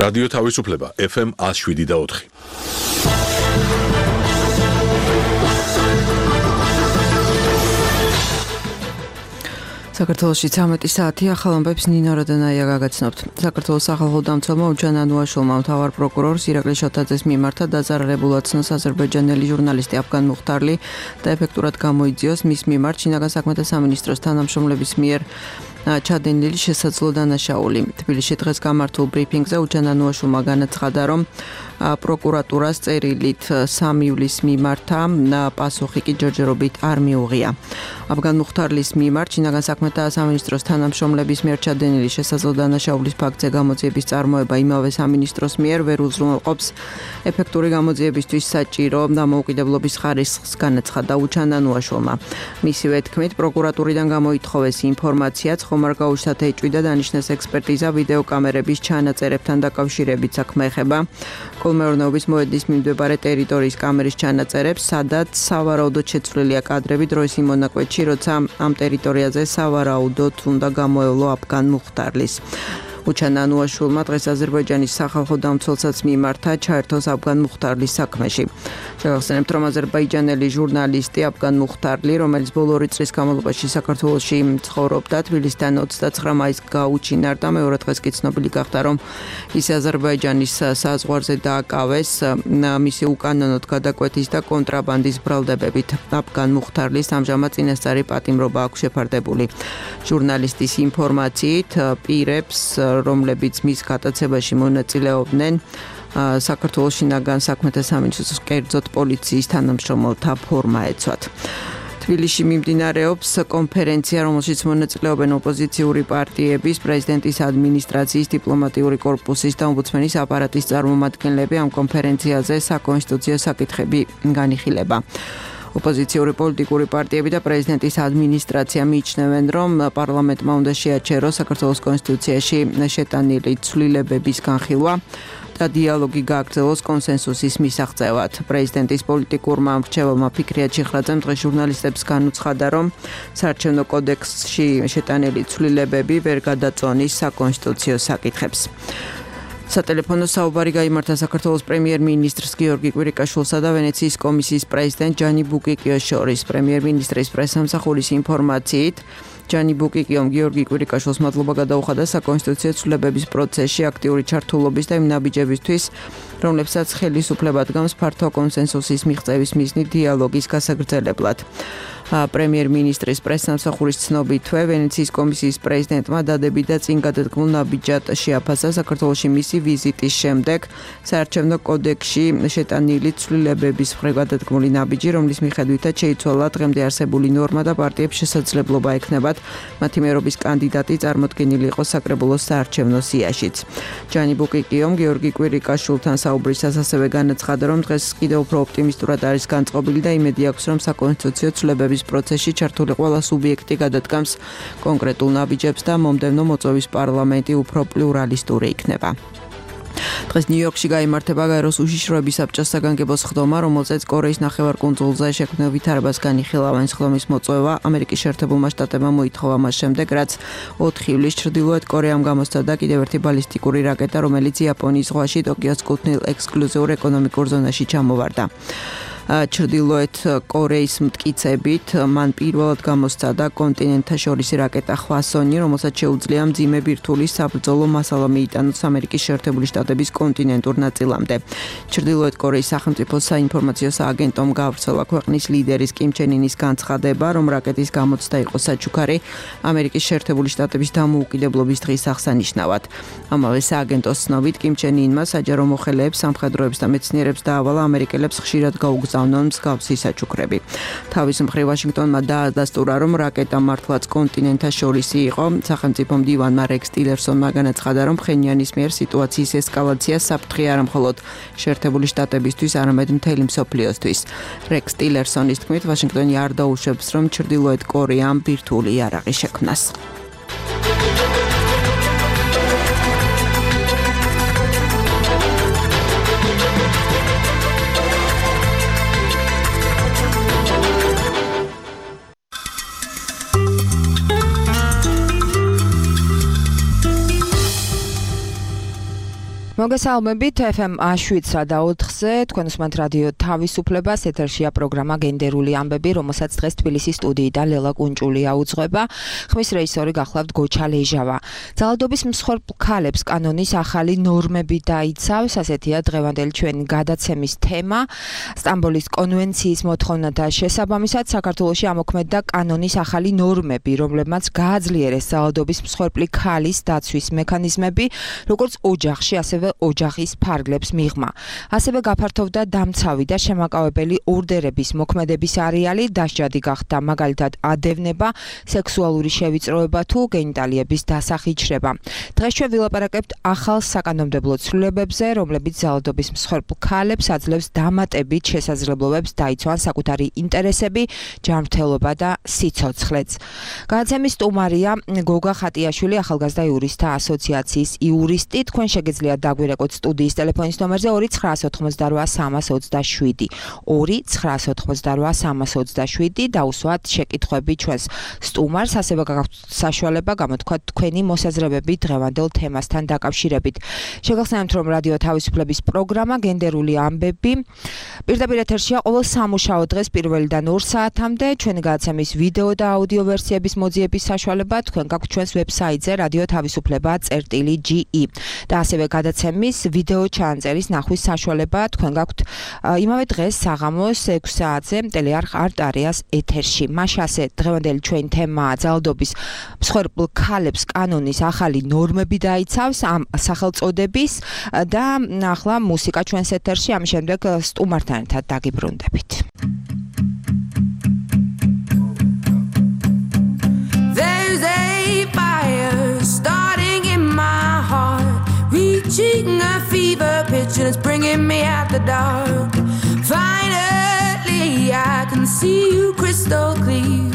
რადიო თავისუფლება FM 107.4. საქართველოში 13 საათი ახალ ამბებს ნინო როდანაია გაგაცნობთ. საქართველოს სახალხო დამცველმა უჩან ანუაშულმა მთავარ პროკურორს ირაკლი შოთაძეს მიმართა დაძარალებულად ცნოს აზერბაიჯანელი ჟურნალისტი აფგან მუხტარლი და ეფექტურად გამოიძიოს მის მიმართ შინაგან საქმეთა სამინისტროს თანამშრომლების მიერ ჩადენილი შესაძლო დანაშაული. თბილისში დღეს გამართულ ბრიფინგზე უჩან ანუაშულმა განაცხადა, რომ პროკურატურას წერილით 3 ივლისს მიმართა პასუხი კი ჯერჯერობით არ მიუღია. აფგან მუხტარლის მიმართ შინაგან საქმეთა სამინისტროს თანამშრომლების მიერ ჩადენილი შესაძლო დანაშაულის ფაქტზე გამოძიების წარმოება იმავე სამინისტროს მიერ ვერ უზრუნველყოფს ეფექტური გამოძიებისთვის საჭირო დამოუკიდებლობის ხარისხს, განაცხადა უჩან ანუაშულმა. მისივე თქმით, პროკურატურიდან გამოითხოვეს ინფორმაციაც, ხომ არ გაუჩნდათ ეჭვი და დანიშნეს ექსპერტიზა ვიდეოკამერების ჩანაწერებთან დაკავშირებით. საქმე ეხება კოლმეურნეობის მოედნის მიმდებარე ტერიტორიის კამერის ჩანაწერებს, სადაც სავარაუდოდ შეცვლილია კადრები დროის იმ მონაკვეთში, როცა ამ ტერიტორიაზე სავარაუდოდ უნდა გამოევლო აფგან მუხტარლის. უჩან ანუაშულმა დღეს აზერბაიჯანის სახალხო დამცველსაც მიმართა ჩაერთოს აფგან მუხტარლის საქმეში. შევახსენებთ, რომ აზერბაიჯანელი ჟურნალისტი აფგან მუხტარლი, რომელიც ბოლო 2 წლის განმავლობაში საქართველოში ცხოვრობდა, თბილისიდან 29 მაისს გაუჩინარდა. მეორე დღეს კი ცნობილი გახდა, რომ ის აზერბაიჯანის საზღვარზე დააკავეს მისი უკანონოდ გადაკვეთის და კონტრაბანდის ბრალდებებით. აფგან მუხტარლის ამჟამად წინასწარი პატიმრობა აქვს შეფარდებული. ჟურნალისტის ინფორმაციით, პირებს, რომლებიც მის გატაცებაში მონაწილეობდნენ, საქართველოს შინაგან საქმეთა სამინისტროს კერძოდ პოლიციის თანამშრომელთა ფორმა ეცვათ. თბილისში მიმდინარეობს კონფერენცია, რომელშიც მონაწილეობენ ოპოზიციური პარტიების, პრეზიდენტის ადმინისტრაციის, დიპლომატიური კორპუსის და ომბუდსმენის აპარატის წარმომადგენლები. ამ კონფერენციაზე საკონსტიტუციო საკითხები განიხილება. ოპოზიციური პოლიტიკური პარტიები და პრეზიდენტის ადმინისტრაცია მიიჩნევენ, რომ პარლამენტმა უნდა შეაჩეროს საქართველოს კონსტიტუციაში შეტანილი ცვლილებების განხილვა და დიალოგი გააგრძელოს კონსენსუსის მისაღწევად. პრეზიდენტის პოლიტიკურმა მრჩეველმა ფიქრიათ ჩიხრაძემ დღეს ჟურნალისტებს განუცხადა, რომ საარჩევნო კოდექსში შეტანილი ცვლილებები ვერ გადაწონის საკონსტიტუციო საკითხებს. სატელეფონო საუბარი გაიმართა საქართველოს პრემიერ-მინისტრს გიორგი კვირიკაშვილსა და ვენეციის კომისიის პრეზიდენტ ჯანი ბუკიკიოს შორის. პრემიერ-მინისტრის პრესსამსახურის ინფორმაციით, ჯანი ბუკიკიომ გიორგი კვირიკაშვილს მადლობა გადაუხადა საკონსტიტუციო ცვლილებების პროცესში აქტიური ჩართულობის და იმ ნაბიჯებისთვის, რომლებსაც ხელისუფლება დგამს ფართო კონსენსუსის მიღწევის მიზნით დიალოგის გასაგრძელებლად. პრემიერ-მინისტრის პრესსამსახურის ცნობითვე, ვენეციის კომისიის პრეზიდენტმა დადებით და წინ გადადგმულ ნაბიჯად შეაფასა საქართველოში მისი ვიზიტის შემდეგ საარჩევნო კოდექსში შეტანილი ცვლილებების მხრივ გადადგმული ნაბიჯი, რომლის მიხედვითაც შეიცვალა დღემდე არსებული ნორმა და პარტიებს შესაძლებლობა ექნებათ მათი მერობის კანდიდატი წარმოდგენილი იყოს საკრებულოს საარჩევნო სიაშიც. ჯანი ბუკიკიომ გიორგი კვირიკაშვილთან საუბრისას ასევე განაცხადა, რომ დღეს კიდევ უფრო ოპტიმისტურად არის განწყობილი და იმედი აქვს, რომ საკონსტიტუციო ცვლილებების პროცესში ჩართული ყველა სუბიექტი გადადგამს კონკრეტულ ნაბიჯებს და მომდევნო მოწვევის პარლამენტი უფრო პლურალისტური იქნება. დღეს ნიუ-იორკში გაიმართება გაეროს უშიშროების საბჭოს საგანგებო სხდომა, რომელზეც კორეის ნახევარკუნძულზე შექმნილ ვითარებას განიხილავენ. სხდომის მოწვევა ამერიკის შეერთებულმა შტატებმა მოითხოვა მას შემდეგ, რაც 4 ივლისს ჩრდილოეთ კორეამ გამოსცადა კიდევ ერთი ბალისტიკური რაკეტა, რომელიც იაპონიის ზღვაში ტოკიოს კუთვნილ ექსკლუზიურ ეკონომიკურ ზონაში ჩამოვარდა. ჩრდილოეთ კორეის მტკიცებით მან პირველად გამოსცადა კონტინენტთაშორისი რაკეტა ხვასონი, რომელსაც შეუძლია მძიმე ბირთვული საბრძოლო მასალა მიიტანოს ამერიკის შეერთებული შტატების კონტინენტურ ნაწილამდე. ჩრდილოეთ კორეის სახელმწიფო საინფორმაციო სააგენტომ გავრცელა ქვეყნის ლიდერის კიმ ჩენ ინის განცხადება, რომ რაკეტის გამოცდა იყო საჩუქარი ამერიკის შეერთებული შტატების დამოუკიდებლობის დღის აღსანიშნავად. ამავე სააგენტოს ცნობით, კიმ ჩენ ინმა საჯარო მოხელეებს, სამხედროებს და მეცნიერებს დაავალა ამერიკელებს ხშირად გაუგზავნონ მსგავსი საჩუქრები. თავის მხრივ ვაშინგტონმა დაადასტურა, რომ რაკეტა მართლაც კონტინენტთაშორისი იყო. სახელმწიფო მდივანმა რექს ტილერსონმა განაცხადა, რომ ფხენიანის მიერ სიტუაციის ესკალაცია საფრთხე არა მხოლოდ შეერთებული შტატებისთვის, არამედ მთელი მსოფლიოსთვის. რექს ტილერსონის თქმით, ვაშინგტონი არ დაუშვებს, რომ ჩრდილოეთ კორეამ ბირთვული იარაღი შექმნას. მოგესალმებით FM 7-ზე თქვენ უსმენთ რადიო თავისუფლებას ეთერშია პროგრამა გენდერული ამბები, რომელსაც დღეს თბილისის სტუდიიდან ლელა კუნჭულია უძღვება. ხმის რეჟისორი გახლავთ გოჩა ლეჟავა. ძალადობის მსხვერპლ ქალებს კანონის ახალი ნორმები დაიცავს, ასეთია დღევანდელი ჩვენი გადაცემის თემა. სტამბოლის კონვენციის მოთხოვნათა შესაბამისად საქართველოში ამოქმედდა კანონის ახალი ნორმები, რომლებმაც გააძლიერეს ძალადობის მსხვერპლი ქალის დაცვის მექანიზმები, როგორც ოჯახში, ასევე ოჯახის ფარგლებს მიღმა. ასევე გაფართოვდა დამცავი და შემაკავებელი ორდერების მოქმედების არეალი, დასჯადი გახდა მაგალითად ადევნება, სექსუალური შევიწროება თუ გენიტალიების დასახიჩრება. დღეს ჩვენ ვილაპარაკებთ ახალ საკანონმდებლო ცვლილებებზე, რომლებიც ძალადობის მსხვერპლ ქალებს აძლევს დამატებით შესაძლებლობებს დაიცვან საკუთარი ინტერესები, ჯანმრთელობა და სიცოცხლეც. გადაცემის სტუმარია გოგა ხატიაშვილი, ახალგაზრდა იურისტთა ასოციაციის იურისტი. თქვენ შეგიძლიათ დაგვირეკოთ სტუდიის ტელეფონის ნომერზე 298-327 298-327 დაუსვათ შეკითხვები ჩვენს სტუმარს, ასევე გაქვთ საშუალება გამოთქვათ თქვენი მოსაზრებები დღევანდელ თემასთან დაკავშირებით. შეგახსენებთ, რომ რადიო თავისუფლების პროგრამა გენდერული ამბები პირდაპირ ეთერშია ყოველ სამუშაო დღეს 1-დან 2 საათამდე. ჩვენი გადაცემის ვიდეო და აუდიო ვერსიების მოძიების საშუალება თქვენ გაქვთ ჩვენს ვებსაიტზე radiotavisupleba.ge და ასევე გადაცემის ვიდეო ჩანაწერის ნახვის საშუალება თქვენ გაქვთ იმავე დღეს საღამოს 6 საათზე ტელეარხ არტ-არეას ეთერში. მაშინ ასე დღევანდელი ჩვენი თემაა ძალადობის მსხვერპლ ქალებს კანონის ახალი ნორმები დაიცავს ამ სახელწოდების და ახლა მუსიკა ჩვენს ეთერში, ამის შემდეგ სტუმართან ერთად დაგიბრუნდებით. There's a fire starting in my heart, reaching a fever pitch and it's bringing me out the dark. Finally I can see you crystal clear.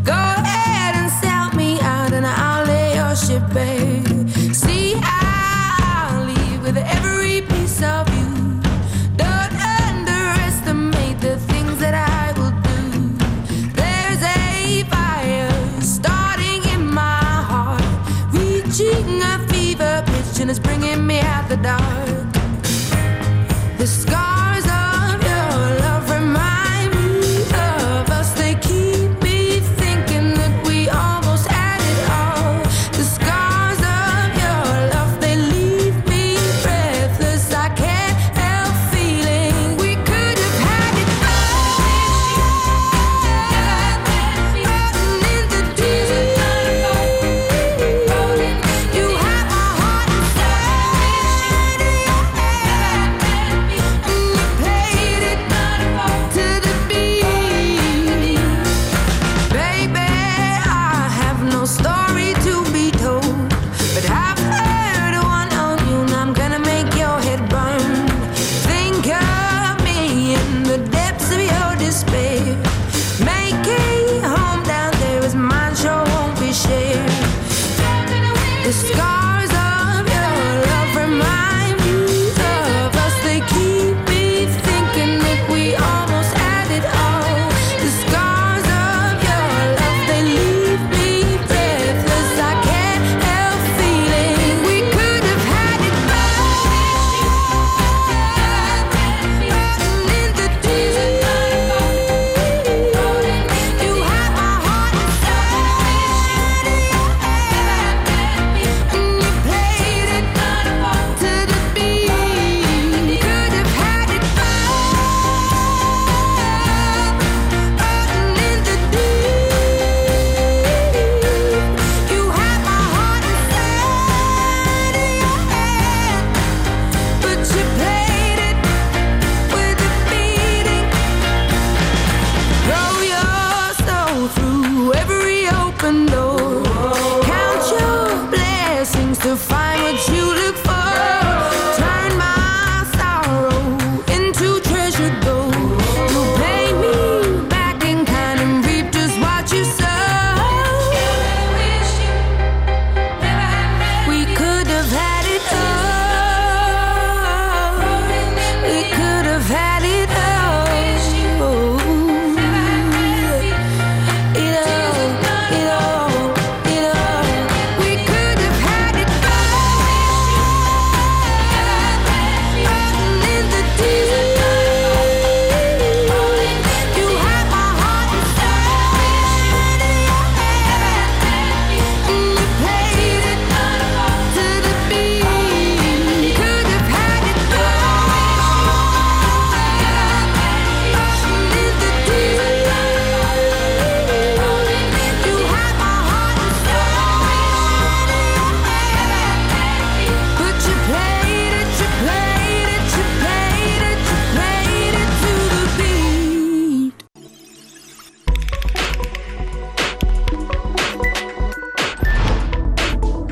Go ahead and sell me out and I'll lay your ship bare. See, I'll leave with every piece of you. Don't underestimate the things that I will do. There's a fire starting in my heart, reaching a fever pitch and it's bringing me out the dark. The scars of your love remind me of us. They keep me thinking that we almost had it all. The scars of your love, they leave me breathless. I can't help feeling we could have had it all. Rotten in the deep. You have my heart inside. And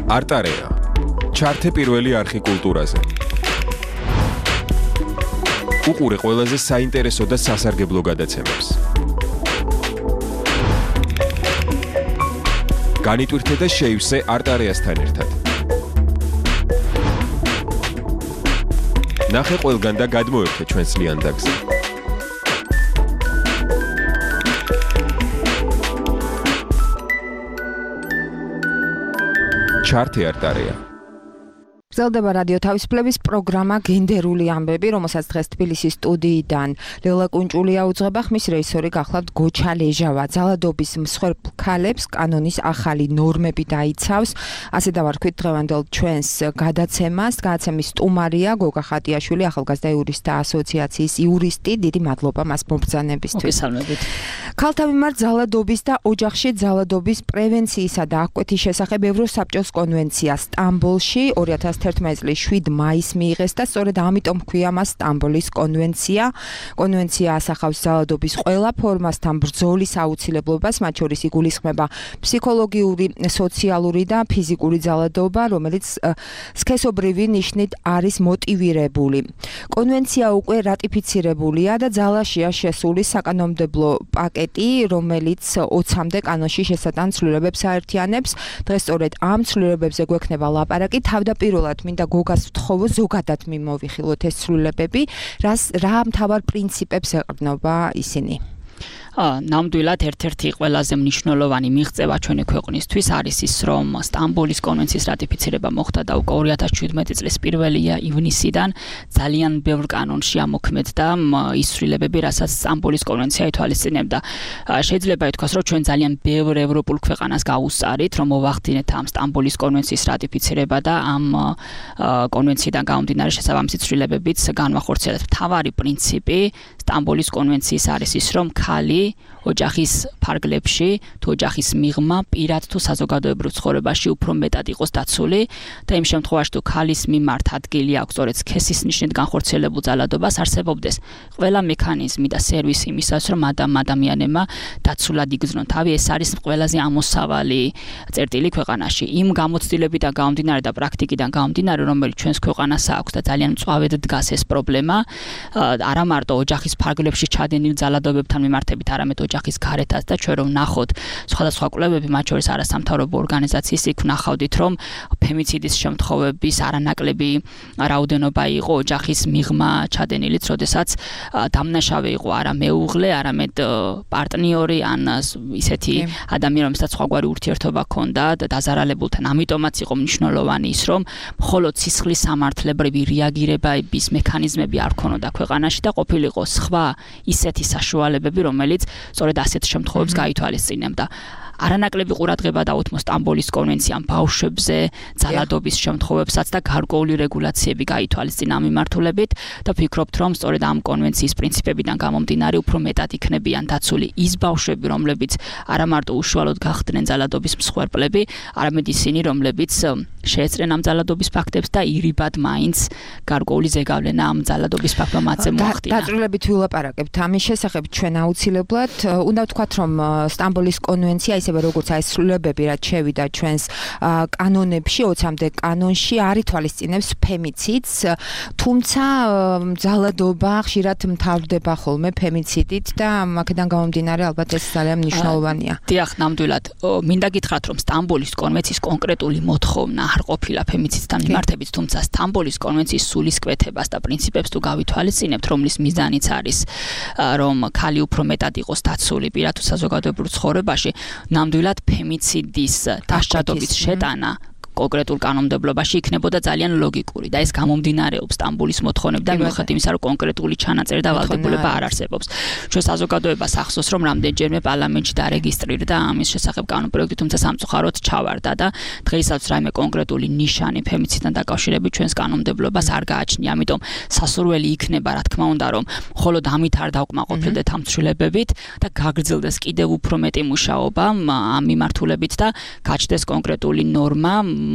არტარეა. ჩართე პირველი არხი კულტურაზე. უყურე ყველაზე საინტერესო და სასარგებლო გადაცემებს. განიტვირთე და შეივსე არტარეასთან ერთად. ნახე ყველგან და გადმოერთე ჩვენს ლიანდაგზე. ჩართე არტარეა. გრძელდება რადიო თავისუფლების პროგრამა გენდერული ამბები, რომელსაც დღეს თბილისის სტუდიიდან ლელა კუნჭულია უძღვება, ხმის რეჟისორი გახლავთ გოჩა ლეჟავა. ძალადობის მსხვერპლ ქალებს კანონის ახალი ნორმები დაიცავს. ასე დავარქვით დღევანდელ ჩვენს გადაცემას. გადაცემის სტუმარია გოგა ხატიაშვილი, ახალგაზრდა იურისტთა ასოციაციის იურისტი. დიდი მადლობა მას მობრძანებისთვის. მოგესალმებით. ქალთა მიმართ ძალადობის და ოჯახში ძალადობის პრევენციისა და აღკვეთის შესახებ ევროსაბჭოს კონვენცია სტამბოლში 2011 წლის 7 მაისს მიიღეს და სწორედ ამიტომ ჰქვია მას სტამბოლის კონვენცია. კონვენცია ასახავს ძალადობის ყველა ფორმასთან ბრძოლის აუცილებლობას, მათ შორის იგულისხმება ფსიქოლოგიური, სოციალური და ფიზიკური ძალადობა, რომელიც სქესობრივი ნიშნით არის მოტივირებული. კონვენცია უკვე რატიფიცირებულია და ძალაშია შესული საკანონმდებლო პაკეტი, რომელიც 20-მდე კანონში შესატან ცვლილებებს აერთიანებს. დღეს სწორედ ამ ცვლილებებზე გვექნება ლაპარაკი. თავდაპირველად მინდა გოგას ვთხოვო ზოგადად მიმოვიხილოთ ეს ცვლილებები, რა მთავარ პრინციპებს ეყრდნობა ისინი. ნამდვილად ერთ-ერთი ყველაზე მნიშვნელოვანი მიღწევა ჩვენი ქვეყნისთვის არის ის, რომ სტამბოლის კონვენციის რატიფიცირება მოხდა და უკვე 2017 წლის 1 ივნისიდან ძალიან ბევრ კანონში ამოქმედდა ის ცვლილებები, რასაც სტამბოლის კონვენცია ითვალისწინებდა. შეიძლება ითქვას, რომ ჩვენ ძალიან ბევრ ევროპულ ქვეყანას გავუსწარით, რომ მოვახდინეთ ამ სტამბოლის კონვენციის რატიფიცირება და ამ კონვენციიდან გამომდინარე შესაბამისი ცვლილებებიც განვახორციელეთ. მთავარი პრინციპი სტამბოლის კონვენციის არის ის, რომ ქალი ოჯახის ფარგლებში თუ ოჯახის მიღმა პირად თუ საზოგადოებრივ ცხოვრებაში უფრო მეტად იყოს დაცული და იმ შემთხვევაში თუ ქალის მიმართ ადგილი აქვს სწორედ სქესის ნიშნით განხორციელებულ ძალადობას არსებობდეს ყველა მექანიზმი და სერვისი იმისათვის რომ ადამიანებმა დაცულად იგრძნონ თავი. ეს არის ყველაზე ამოსავალი წერტილი ქვეყანაში. იმ გამოცდილებიდან გამომდინარე და პრაქტიკიდან გამომდინარე, რომელიც ჩვენს ქვეყანას აქვს და ძალიან მწვავედ დგას ეს პრობლემა, არა მარტო ოჯახის ფარგლებში ჩადენილ ძალადობებთან მიმართებით, არამედ ოჯახის გარეთაც და ჩვენ რომ ნახოთ სხვადასხვა კვლევები, მათ შორის არასამთავრობო ორგანიზაციის იქ ნახავდით, რომ ფემიციდის შემთხვევების არანაკლები რაოდენობა იყო ოჯახის მიღმა ჩადენილიც, როდესაც დამნაშავე იყო არა მეუღლე, არამედ პარტნიორი ან ისეთი ადამიანი, რომელსაც სხვაგვარი ურთიერთობა ჰქონდა და დაზარალებულთან. ამიტომაც იყო მნიშვნელოვანი ის, რომ მხოლოდ სისხლის სამართლებრივი რეაგირების მექანიზმები არ ქონოდა ქვეყანაში და ყოფილიყო სხვა ისეთი საშუალებები, რომელიც სწორედ ასეთ შემთხვევებს გაითვალისწინებდა. არანაკლები ყურადღება დაუთმო სტამბოლის კონვენციამ ბავშვებზე, ძალადობის შემთხვევებსაც და გარკვეული რეგულაციები გაითვალისწინა ამ მიმართულებით და ვფიქრობთ, რომ სწორედ ამ კონვენციის პრინციპებიდან გამომდინარე უფრო მეტად იქნებიან დაცული ის ბავშვები, რომლებიც არა მარტო უშუალოდ გახდნენ ძალადობის მსხვერპლები, არამედ ისინი, რომლებიც შეეწრნენ ამ ძალადობის ფაქტებს და ირიბად მაინც გარკვეული ზეგავლენა ამ ძალადობის ფაქტმა მათზე მოახდინა. დაწვრილებით ვილაპარაკებთ ამის შესახებ ჩვენ აუცილებლად. უნდა ვთქვათ, რომ სტამბოლის კონვენცია ისევე როგორც აი ცვლილებები რაც შევიდა ჩვენს კანონებში 20-მდე კანონში არ ითვალისწინებს ფემიციდს, თუმცა ძალადობა ხშირად მთავრდება ხოლმე ფემიციდით და აქედან გამომდინარე ალბათ ეს ძალიან მნიშვნელოვანია. დიახ, ნამდვილად. მინდა გითხრათ, რომ სტამბოლის კონვენციის კონკრეტული მოთხოვნა არ ყოფილა ფემიციდთან მიმართებით, თუმცა სტამბოლის კონვენციის სულისკვეთებას და პრინციპებს თუ გავითვალისწინებთ, რომლის მიზანიც არის, რომ ქალი უფრო მეტად იყოს დაცული პირად თუ საზოგადოებრივ ცხოვრებაში, ნამდვილად ფემიციდის დასჯადობის შეტანა კონკრეტულ კანონმდებლობაში იქნებოდა ძალიან ლოგიკური და ეს გამომდინარეობს სტამბოლის მოთხოვნებიდან მიუხედავად იმისა, რომ კონკრეტული ჩანაწერი და ვალდებულება არ არსებობს. ჩვენ საზოგადოებას ახსოვს, რომ რამდენჯერმე პარლამენტში დარეგისტრირდა ამის შესახებ კანონპროექტი, თუმცა სამწუხაროდ ჩავარდა და დღეისაც რაიმე კონკრეტული ნიშანი ფემიციდთან დაკავშირებით ჩვენს კანონმდებლობას არ გააჩნია. ამიტომ სასურველი იქნება, რა თქმა უნდა, რომ მხოლოდ ამით არ დავკმაყოფილდეთ ამ ცვლილებებით და გაგრძელდეს კიდევ უფრო მეტი მუშაობა ამ მიმართულებით და გაჩნდეს კონკრეტული ნორმა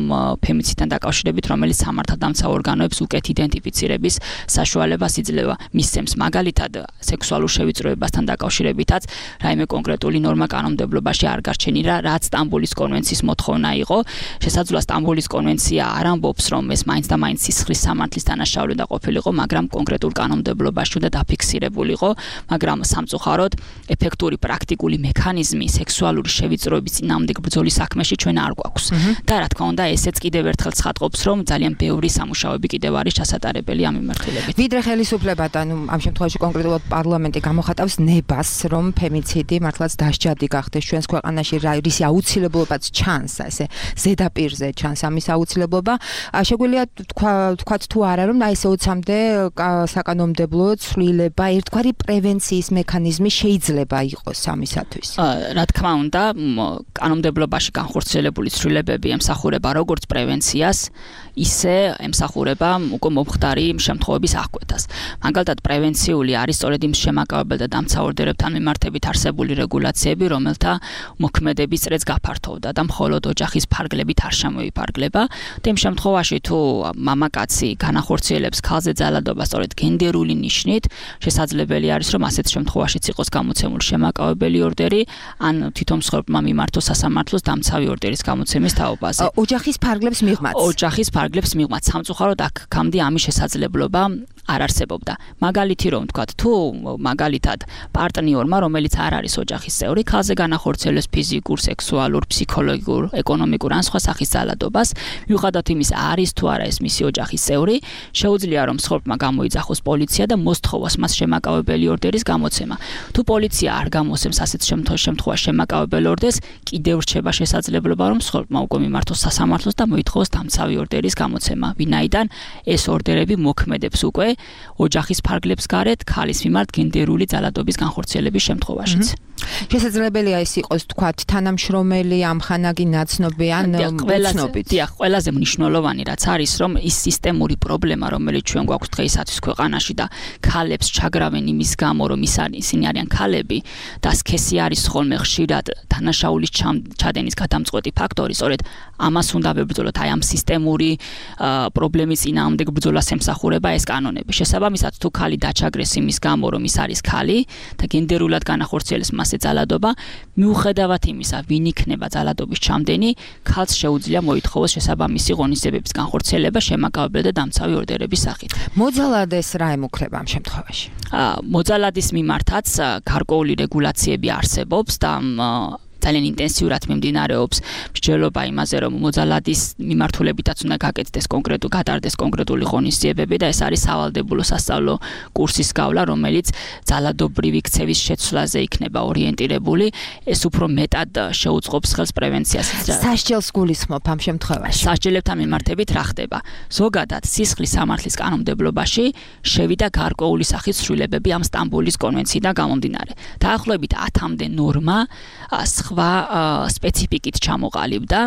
ფემიციდთან დაკავშირებით, რომელიც სამართალდამცავ ორგანოებს უკეთ იდენტიფიცირების საშუალებას იძლევა. მისცემს მაგალითად სექსუალურ შევიწროებასთან დაკავშირებითაც რაიმე კონკრეტული ნორმა კანონმდებლობაში არ გარჩენილა, რაც სტამბოლის კონვენციის მოთხოვნა იყო. შესაძლოა სტამბოლის კონვენცია არ ამბობს, რომ ეს მაინც და მაინც სისხლის სამართლის დანაშაული უნდა ყოფილიყო, მაგრამ კონკრეტულ კანონმდებლობაში უნდა დაფიქსირებულიყო, მაგრამ სამწუხაროდ ეფექტური პრაქტიკული მექანიზმი სექსუალური შევიწროების წინააღმდეგ ბრძოლის საქმეში ჩვენ არ გვაქვს. და რა თქმა უნდა, ესეც კიდევ ერთხელ ცხადყოფს, რომ ძალიან ბევრი სამუშაოები კიდევ არის ჩასატარებელი ამ მიმართულებით. ვიდრე ხელისუფლებად, ანუ ამ შემთხვევაში კონკრეტულად პარლამენტი გამოხატავს ნებას, რომ ფემიციდი მართლაც დასჯადი გახდეს ჩვენს ქვეყანაში, რისი აუცილებლობაც ჩანს, ესე ზედაპირზე ჩანს ამის აუცილებლობა. შეგვიძლია თქვათ თუ არა, რომ აი ესე 20-მდე საკანონმდებლო ცვლილება, ერთგვარი პრევენციის მექანიზმი შეიძლება იყოს ამისათვის. რა თქმა უნდა, კანონმდებლობაში განხორციელებული ცვლილებები ემსახურება როგორც პრევენციას, ისე ემსახურება უკვე მომხდარი შემთხვევების აღკვეთას. მაგალითად, პრევენციული არის სწორედ იმ შემაკავებელ და დამცავ ორდერებთან მიმართებით არსებული რეგულაციები, რომელთა მოქმედების წრეც გაფართოვდა და მხოლოდ ოჯახის ფარგლებით არ შემოიფარგლება. და იმ შემთხვევაში, თუ მამაკაცი განახორციელებს ქალზე ძალადობას სწორედ გენდერული ნიშნით, შესაძლებელი არის, რომ ასეთ შემთხვევაშიც იყოს გამოცემული შემაკავებელი ორდერი, ან თვითონ მსხვერპლმა მიმართოს სასამართლოს დამცავი ორდერის გამოცემის თაობაზე. ოჯახის ფარგლებს მიღმაც. ოჯახის ფარგლებს მიღმაც. სამწუხაროდ აქამდე ამის შესაძლებლობა არ არსებობდა. მაგალითი რომ ვთქვათ, თუ მაგალითად პარტნიორმა, რომელიც არ არის ოჯახის წევრი, ქალზე განახორციელებს ფიზიკურ, სექსუალურ, ფსიქოლოგიურ, ეკონომიკურ ან სხვა სახის ძალადობას, მიუხედავად იმისა, არის თუ არა ეს მისი ოჯახის წევრი, შეუძლია რომ მსხვერპლმა გამოიძახოს პოლიცია და მოსთხოვოს მას შემაკავებელი ორდერის გამოცემა. თუ პოლიცია არ გამოსცემს ასეთ შემთხვევაში შემაკავებელ ორდერს, კიდევ რჩება შესაძლებლობა, რომ მსხვერპლმა უკვე მიმართოს სასამართლოს და მოითხოვოს დამცავი ორდერის გამოცემა, ვინაიდან ეს ორდერები მოქმედებს უკვე ოჯახის ფარგლებს გარეთ ქალის მიმართ გენდერული ძალადობის განხორციელების შემთხვევაშიც. შესაძლებელია ეს იყოს თქვათ თანამშრომელი, ამხანაგი ნაცნობი ან უცნობით. დიახ, ყველაზე მნიშვნელოვანი რაც არის, რომ ის სისტემური პრობლემა, რომელიც ჩვენ გვაქვს დღეისათვის ქვეყანაში და ქალებს ჩაგრავენ იმის გამო, რომ ისინი არიან ქალები და სქესი არის ხოლმე ხშირად დანაშაულის ჩადენის გადამწყვეტი ფაქტორი, სწორედ ამას უნდა ვებრძოლოთ, აი ამ სისტემური პრობლემის წინააღმდეგ ბრძოლას ემსახურება ეს კანონები. შესაბამისად, თუ ქალი დაჩაგრეს იმის გამო, რომ ის არის ქალი და გენდერულად განახორციელებს მასზე ძალადობა, მიუხედავად იმისა, ვინ იქნება ძალადობის ჩამდენი, ქალს შეუძლია მოითხოვოს შესაბამისი ღონისძიებების განხორციელება შემაკავებელი და დამცავი ორდერების სახით. მოძალადეს რა ემუქრება ამ შემთხვევაში? მოძალადის მიმართაც გარკვეული რეგულაციები არსებობს და ძალიან ინტენსიურად მიმდინარეობს მსჯელობა იმაზე, რომ მოძალადის მიმართულებითაც უნდა გატარდეს კონკრეტული ღონისძიებები და ეს არის სავალდებულო სასწავლო კურსის გავლა, რომელიც ძალადობრივი ქცევის შეცვლაზე იქნება ორიენტირებული. ეს უფრო მეტად შეუწყობს ხელს პრევენციას. სასჯელს გულისხმობ ამ შემთხვევაში. სასჯელებთან მიმართებით რა ხდება? ზოგადად სისხლის სამართლის კანონმდებლობაში შევიდა გარკვეული სახის ცვლილებები ამ სტამბოლის კონვენციიდან გამომდინარე. დაახლოებით 10-მდე ნორმა სხვა სპეციფიკით ჩამოყალიბდა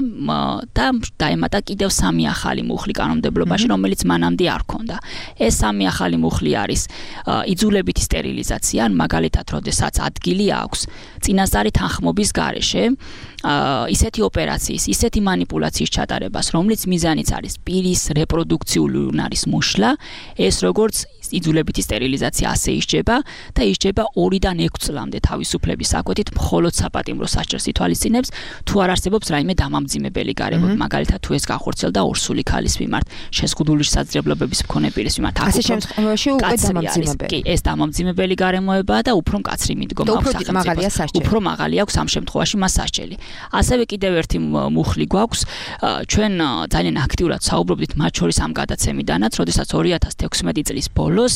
და დაემატა კიდევ 3 ახალი მუხლი კანონმდებლობაში, რომელიც მანამდე არ ჰქონდა. ეს 3 ახალი მუხლი არის იძულებითი სტერილიზაცია, მაგალითად, როდესაც ადგილი აქვს წინასწარი თანხმობის გარეშე ისეთი ოპერაციის, ისეთი манипуляციის ჩატარებას, რომლის მიზანიც არის პირის რეპროდუქციული უნარის მოშლა, ეს როგორც იძულებითი სტერილიზაცია ასე ისჯება და ისჯება 2-დან 6 წლამდე თავისუფლების საკვეთით მხოლოდ საპატიმრო სასჯელს ითვალისწინებს, თუ არ არსებობს რაიმე დამამძიმებელი გარემო, მაგალითად თუ ეს განხორციელდა ორსული ქალის მიმართ, შეზღუდული შესაძლებლობების მქონე პირის მიმართ. ასე შემთხვევაში უკვე დამამძიმებელი. კი, ეს დამამძიმებელი გარემოებაა და უფრო მკაცრი მიდგომა აქვს სახელმწიფოს. უფრო მაღალი აქვს ამ შემთხვევაში მას სასჯელი. ასევე კიდევ ერთი მუხლი გვაქვს, ჩვენ ძალიან აქტიურად საუბრობდით მათ შორის ამ გადაცემიდანაც, როდესაც 2016 წლის ბოლოს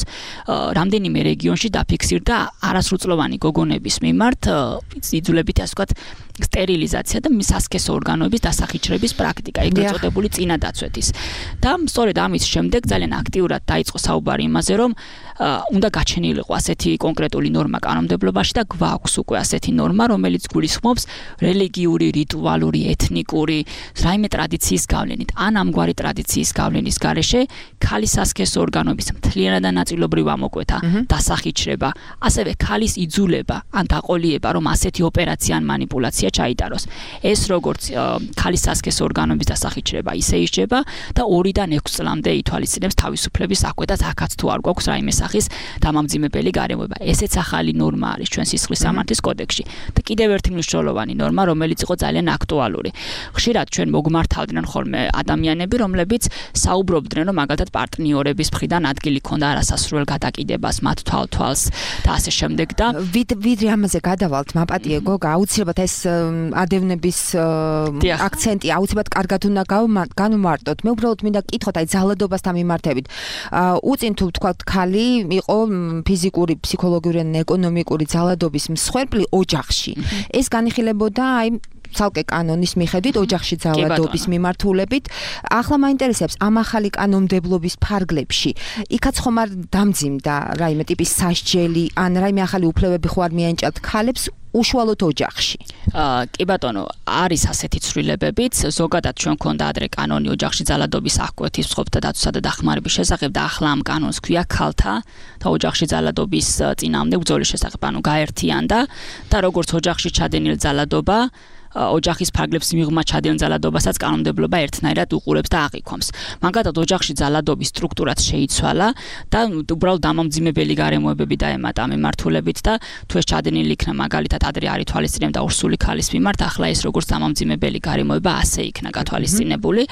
რამდენიმე რეგიონში დაფიქსირდა არასრულწლოვანი გოგონების მიმართ იძულებითი ასე ვთქვათ სტერილიზაცია და სასქესო ორგანოების დასახიჩრების პრაქტიკა, ეგრეთ წოდებული წინადაცვეთის. და სწორედ ამის შემდეგ ძალიან აქტიურად დაიწყო საუბარი იმაზე, რომ უნდა გაჩენილიყო ასეთი კონკრეტული ნორმა კანონმდებლობაში და გვაქვს უკვე ასეთი ნორმა, რომელიც გულისხმობს რელიგიური, რიტუალური, ეთნიკური, რაიმე ტრადიციის გავლენით. ან ამგვარი ტრადიციის გავლენის გარეშე ქალის სასქესო ორგანოების მთლიანად და ნაწილობრივ ამოკვეთა, დასახიჩრება, ასევე ქალის იძულება ან დაყოლიება, რომ ასეთი ოპერაცია ან манипуляცია ოპერაცია ჩაიტაროს. ეს როგორც ქალის სასქესო ორგანოების დასახით შრება, ისე ისჯება და 2-დან 6 წლამდე ითვალისწინებს თავისუფლების აკვე და აქაც თუ არ გვაქვს რაიმე სახის დამამძიმებელი გარემოება. ესეც ახალი ნორმა არის ჩვენ სისხლის სამართლის კოდექსში. და კიდევ ერთი მნიშვნელოვანი ნორმა, რომელიც იყო ძალიან აქტუალური. ხშირად ჩვენ მოგმართავდნენ ხოლმე ადამიანები, რომლებიც საუბრობდნენ, რომ მაგალითად პარტნიორების მხრიდან ადგილი ქონდა არასასრულ გადაკიდებას, მათ თვალს და ასე შემდეგ და ვიდრე ამაზე გადავალთ, მაპატიე გოგა, აუცილებლად ეს ადევნების აქცენტი აუცილებლად კარგად უნდა განვმარტოთ. მე უბრალოდ მინდა გკითხოთ, აი ძალადობასთან მიმართებით. უწინ თუ ვთქვათ, ქალი იყო ფიზიკური, ფსიქოლოგიური ან ეკონომიკური ძალადობის მსხვერპლი ოჯახში. ეს განიხილებოდა აი ცალკე კანონის მიხედვით ოჯახში ძალადობის მიმართულებით. ახლა მაინტერესებს ამ ახალი კანონმდებლობის ფარგლებში. იქაც ხომ არ დამძიმდა რაიმე ტიპის სასჯელი ან რაიმე ახალი უფლებები ხო არ მიენიჭათ ქალებს უშუალოდ ოჯახში. კი ბატონო, არის ასეთი ცვლილებებიც, ზოგადად ჩვენ გქონდა ადრე კანონი ოჯახში ძალადობის აღკვეთის, მსხვერპლთა დაცვისა და დახმარების შესახებ და ახლა ამ კანონს ქვია ქალთა და ოჯახში ძალადობის წინააღმდეგ ბრძოლის შესახებ, ანუ გაერთიანდა და როგორც ოჯახში ჩადენილ ძალადობა ოჯახის ფარგლებს მიღმა ჩადენილ ძალადობასაც კანონმდებლობა ერთნაირად უყურებს და აღიქვამს. მაგალითად, ოჯახში ძალადობის სტრუქტურაც შეიცვალა და უბრალოდ დამამძიმებელი გარემოებები დაემატა მიმართულებით და თუ ეს ჩადენილი იქნა მაგალითად ადრე არ ითვალისწინებდა ორსული ქალის მიმართ, ახლა ეს როგორც დამამძიმებელი გარემოება ასე იქნა გათვალისწინებული.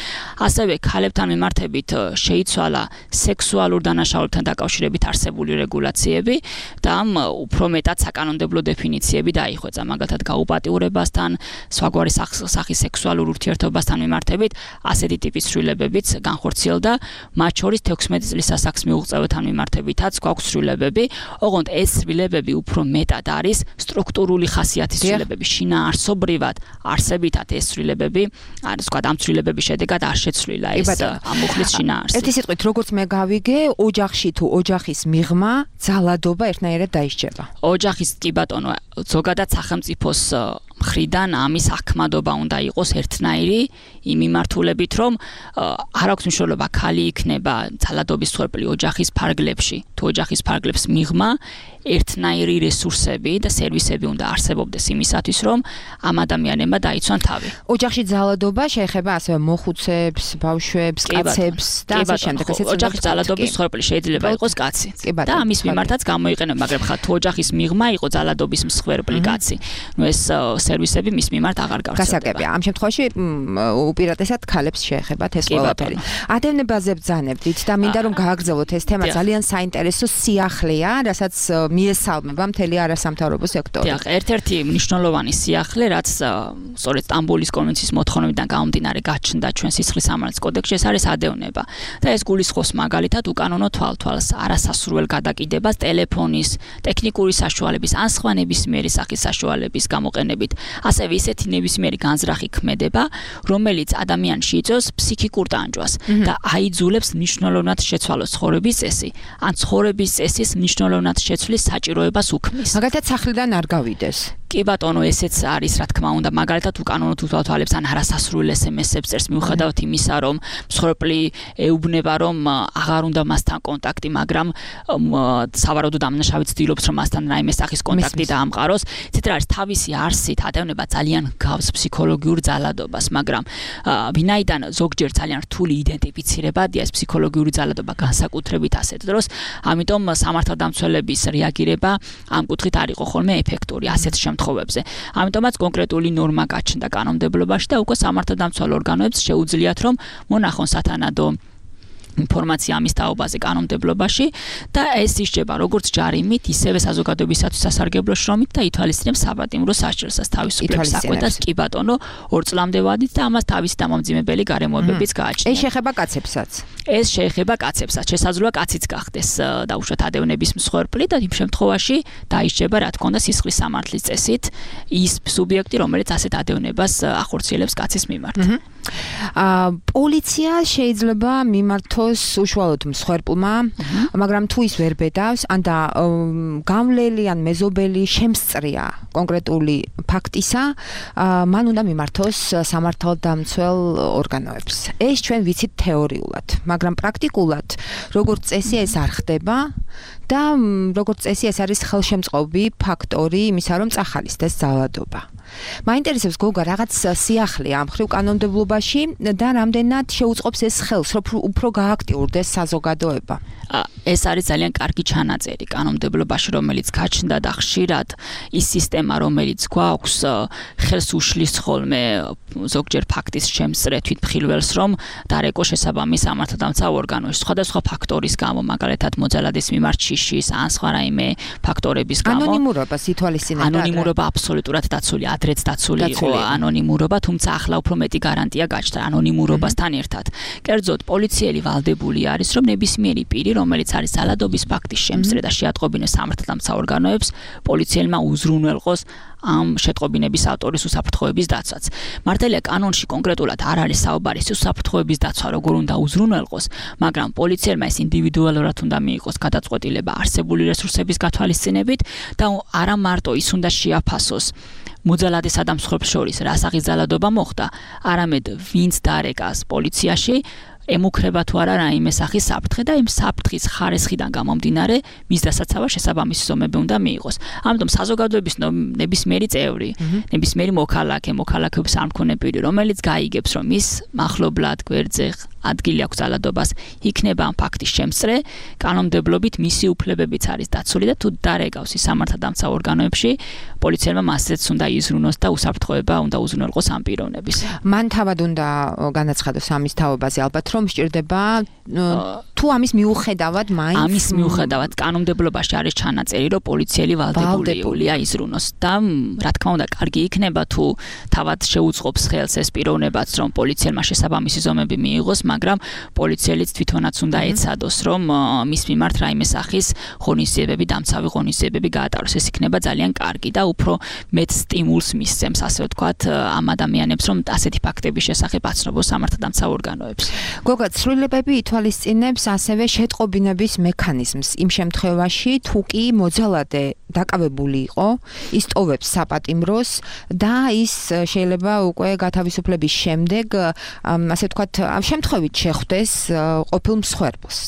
ასევე ქალებთან მიმართებით შეიცვალა სექსუალურ დანაშაულებთან დაკავშირებით არსებული რეგულაციები და უფრო მეტად საკანონმდებლო დეფინიციები დაიხვეწა, მაგალითად გაუპატიურებასთან, სხვაგვარი სახის სექსუალურ ურთიერთობასთან მიმართებით ასეთი ტიპის ცვლილებებიც განხორციელდა, მათ შორის 16 წლის ასაკს მიუღწევებთან მიმართებითაც გვაქვს ცვლილებები. ოღონდ ეს ცვლილებები უფრო მეტად არის სტრუქტურული ხასიათის ცვლილებები. შინაარსობრივად არსებითად ეს ცვლილებები არის, თქვა, ამ ცვლილებების შედეგად არ შეცვლილა ეს ამუხლის შინაარსი. ერთი სიტყვით, როგორც მე გავიგე, ოჯახში თუ ოჯახის მიღმა ძალადობა ერთნაირად დაისჯება. ოჯახის კი ბატონო, ზოგადად სახელმწიფოს მხრიდან ამის ახმადობა უნდა იყოს ერთნაირი იმ მიმართულებით, რომ არ აქვს მნიშვნელობა ქალი იქნება ძალადობის მსხვერპლი ოჯახის ფარგლებში, თუ ოჯახის ფარგლებს მიღმა ერთნაირი რესურსები და სერვისები უნდა არსებობდეს იმისათვის, რომ ამ ადამიანებმა დაიცვან თავი. ოჯახში ძალადობა შეეხება ასევე მოხუცებს, ბავშვებს, კაცებს და ასე შემდეგ. ოჯახის ძალადობის მსხვერპლი შეიძლება იყოს კაცი და ამის მიმართაც გამოიყენება, მაგრამ ხა თუ ოჯახის მიღმა იყო ძალადობის მსხვერპლი კაცი, ნუ ეს სერვისები მის მიმართ აღარ გავრცელდება. გასაგებია. ამ შემთხვევაში უპირატესად ქალებს შეეხებათ ეს ყველაფერი. ადევნებაზე ბრძანებდით და მინდა რომ გააგრძელოთ ეს თემა, ძალიან საინტერესო სიახლეა, რასაც მიესალმება მთელი არასამთავრობო სექტორი. დიახ, ერთ-ერთი მნიშვნელოვანი სიახლე, რაც სწორედ სტამბოლის კონვენციის მოთხოვნებიდან გამომდინარე გაჩნდა ჩვენ სისხლის სამართლის კოდექსში, ეს არის ადევნება. და ეს გულისხმობს მაგალითად უკანონო თვალთვალს, არასასურველ გადაკიდებას, ტელეფონის, ტექნიკური საშუალების, ან სხვა ნებისმიერი სახის საშუალების გამოყენებით. ასევე ისეთი ნებისმიერი განზრახი ქმედება, რომელიც ადამიანში იწვევს ფსიქიკურ ტანჯვას და აიძულებს მნიშვნელოვნად შეცვალოს ცხოვრების წესი, ან ცხოვრების წესის მნიშვნელოვნად შეცვლის საჭიროებას უქმნის. მაგალითად, სახლიდან არ გავიდეს. კი ბატონო, ესეც არის, რა თქმა უნდა, მაგალითად უკანონო თვალთვალებს ან არასასრულ SMS-ებს წერს მიუხედავად იმისა, რომ მსხვერპლი ეუბნება, რომ აღარ უნდა მასთან კონტაქტი, მაგრამ სავარაუდოდ ამნაშავე ცდილობს, რომ მასთან რაიმე სახის კონტაქტი დაამყაროს. ცით რა არის, თავისი არსით ადევნება ძალიან გავს ფსიქოლოგიურ ძალადობას, მაგრამ ვინაიდან ზოგჯერ ძალიან რთული იდენტიფიცირებადია ეს ფსიქოლოგიური ძალადობა განსაკუთრებით ასეთ დროს, ამიტომ სამართალდამცველების რეაგირება ამ კუთხით არ იყო ხოლმე ეფექტური ასეთ შემთხვევებზე. ამიტომაც კონკრეტული ნორმა გაჩნდა კანონმდებლობაში და უკვე სამართალდამცველ ორგანოებს შეუძლიათ, რომ მონახონ სათანადო ინფორმაცია ამის თაობაზე კანონმდებლობაში და ეს ისჯება როგორც ჯარიმით, ისევე საზოგადოებისათვის სასარგებლო შრომით და ითვალისწინებს საპატიმრო სასჯელსაც თავისუფლების აკვეთას კი ბატონო 2 წლამდე ვადით და ამას თავისი დამამძიმებელი გარემოებებიც გააჩნია. ეს შეეხება კაცებსაც. ეს შეეხება კაცებსაც. შესაძლოა კაციც გახდეს დაუშვათ ადევნების მსხვერპლი და იმ შემთხვევაში დაისჯება, რა თქმა უნდა, სისხლის სამართლის წესით ის სუბიექტი, რომელიც ასეთ ადევნებას ახორციელებს კაცის მიმართ. პოლიცია შეიძლება მიმართოს უშუალოდ მსხვერპლმა, მაგრამ თუ ის ვერ ბედავს, ან და გამლელი ან მეზობელი შემსწრია კონკრეტული ფაქტისა, მან უნდა მიმართოს სამართალდამცველ ორგანოებს. ეს ჩვენ ვიცით თეორიულად, მაგრამ პრაქტიკულად როგორც წესი ეს არ ხდება და როგორც წესი ეს არის ხელშემწყობი ფაქტორი იმისა, რომ წახალისდეს ძალადობა. მაინტერესებს გოგა რაღაც სიახლე ამ ხრივ კანონმდებლობაში და რამდენად შეუწყობს ეს ხელს, რომ უფრო გააქტიურდეს საზოგადოება. ეს არის ძალიან კარგი ჩანაწერი კანონმდებლობაში, რომელიც გაჩნდა და ხშირად ის სისტემა, რომელიც გვაქვს, ხელს უშლის ხოლმე ზოგჯერ ფაქტის შემსწრე თვითმხილველს, რომ დარეკო შესაბამის სამართალდამცავ ორგანოში სხვადასხვა ფაქტორის გამო, მაგალითად მოძალადის მიმართ შიშის ან სხვა რაიმე ფაქტორების გამო. ანონიმურობას ითვალისწინებდა. ანონიმურობა აბსოლუტურად დაცული, ადრეც დაცული იყო ანონიმურობა, თუმცა ახლა უფრო მეტი გარანტია გაჩნდა ანონიმურობასთან ერთად. კერძოდ, პოლიციელი ვალდებული არის, რომ ნებისმიერი პირი, რომელიც არის ძალადობის ფაქტის შემსწრე და შეატყობინებს სამართალდამცავ ორგანოებს, პოლიციელმა უზრუნველყოს ამ შეტყობინების ავტორის უსაფრთხოების დაცვაც. მართალია კანონში კონკრეტულად არ არის საუბარი უსაფრთხოების დაცვა როგორ უნდა უზრუნველყოს, მაგრამ პოლიციელმა ეს ინდივიდუალურად უნდა მიიღოს გადაწყვეტილება არსებული რესურსების გათვალისწინებით და არა მარტო ის უნდა შეაფასოს მოძალადესა და მსხვერპლს შორის რა სახის ძალადობა მოხდა, არამედ ვინც დარეკას პოლიციაში ემუქრება თუ არა რაიმე სახის საფრთხე და იმ საფრთხის ხარისხიდან გამომდინარე მის დასაცავად შესაბამისი ზომები უნდა მიიღოს. ამიტომ საზოგადოების ნებისმიერი წევრი, ნებისმიერი მოქალაქეობის არ მქონე პირი, რომელიც გაიგებს, რომ ის მახლობლად გვერდზე ადგილი აქვს ძალადობას, იქნება ამ ფაქტის შემსწრე, კანონმდებლობით მისი უფლებებიც არის დაცული და თუ დარეკავს ის სამართალდამცავ ორგანოებში, პოლიციელმა მასზეც უნდა იზრუნოს და უსაფრთხოება უნდა უზრუნველყოს ამ პიროვნების. მან თავად უნდა განაცხადოს ამის თაობაზე ალბათ, რომ სჭირდება თუ ამის მიუხედავად მაინც ამის მიუხედავად კანონმდებლობაში არის ჩანაწერი, რომ პოლიციელი ვალდებულია იზრუნოს და რა თქმა უნდა კარგი იქნება თუ თავად შეუწყობს ხელს ეს პიროვნებაც, რომ პოლიციელმა შესაბამისი ზომები მიიღოს, მაგრამ პოლიციელიც თვითონაც უნდა ეცადოს, რომ მის მიმართ რაიმე სახის ღონისძიებები, დამცავი ღონისძიებები გაატაროს. ეს იქნება ძალიან კარგი და უფრო მეტ სტიმულს მისცემს, ასე ვთქვათ, ამ ადამიანებს, რომ ასეთი ფაქტების შესახებ აცნობოს სამართალდამცავ ორგანოებს. გოგა, ცვლილებები ითვალისწინებს ასევე შეტყობინების მექანიზმს. იმ შემთხვევაში, თუ კი მოძალადე დაკავებული იყო, ის ტოვებს საპატიმროს და ის შეიძლება უკვე გათავისუფლების შემდეგ, ასე ვთქვათ, ამ შემთხვევით შეხვდეს ყოფილ მსხვერპლს,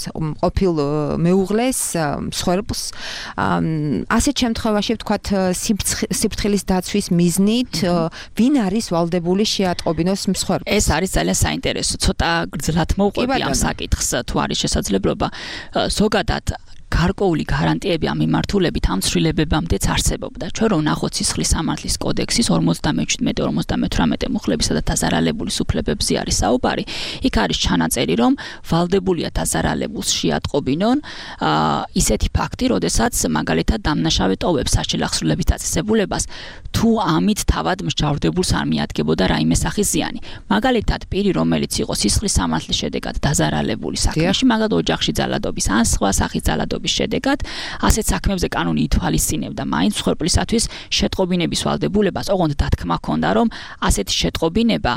ყოფილ მეუღლეს მსხვერპლს. ასეთ შემთხვევაში, ვთქვათ, სიფრთხილის დაცვის მიზნით, ვინ არის ვალდებული შეატყობინოს მსხვერპლს? ეს არის ძალიან საინტერესო, ცოტა გრძლად მოვყვები ამ საკითხს, თუ არის შესაძლებლობა. ზოგადად გარკვეული გარანტიები ამ მიმართულებით ამ ცვლილებებამდეც არსებობდა. ჩვენ რომ ვნახოთ სისხლის სამართლის კოდექსის 57-58 მუხლებისა და დაზარალებული უფლებებზე არის საუბარი. იქ არის ჩანაწერი, რომ ვალდებულია დაზარალებულს შეატყობინონ ისეთი ფაქტი, როდესაც მაგალითად დამნაშავე ტოვებს საშილახსრულების დაწესებულებას, თუ ამით თავად მსჯავრდებულს არ მიადგებოდა რაიმე სახის ზიანი. მაგალითად, პირი, რომელიც იყო სისხლის სამართლის შედეგად დაზარალებული საქმეში, მაგალითად ოჯახში ძალადობის ან სხვა სახის ძალადობის შედეგად, ასეთ საქმეებზე კანონი ითვალისწინებდა მაინც მსხვერპლისათვის შეტყობინების ვალდებულებას, ოღონდ დათქმა ჰქონდა, რომ ასეთი შეტყობინება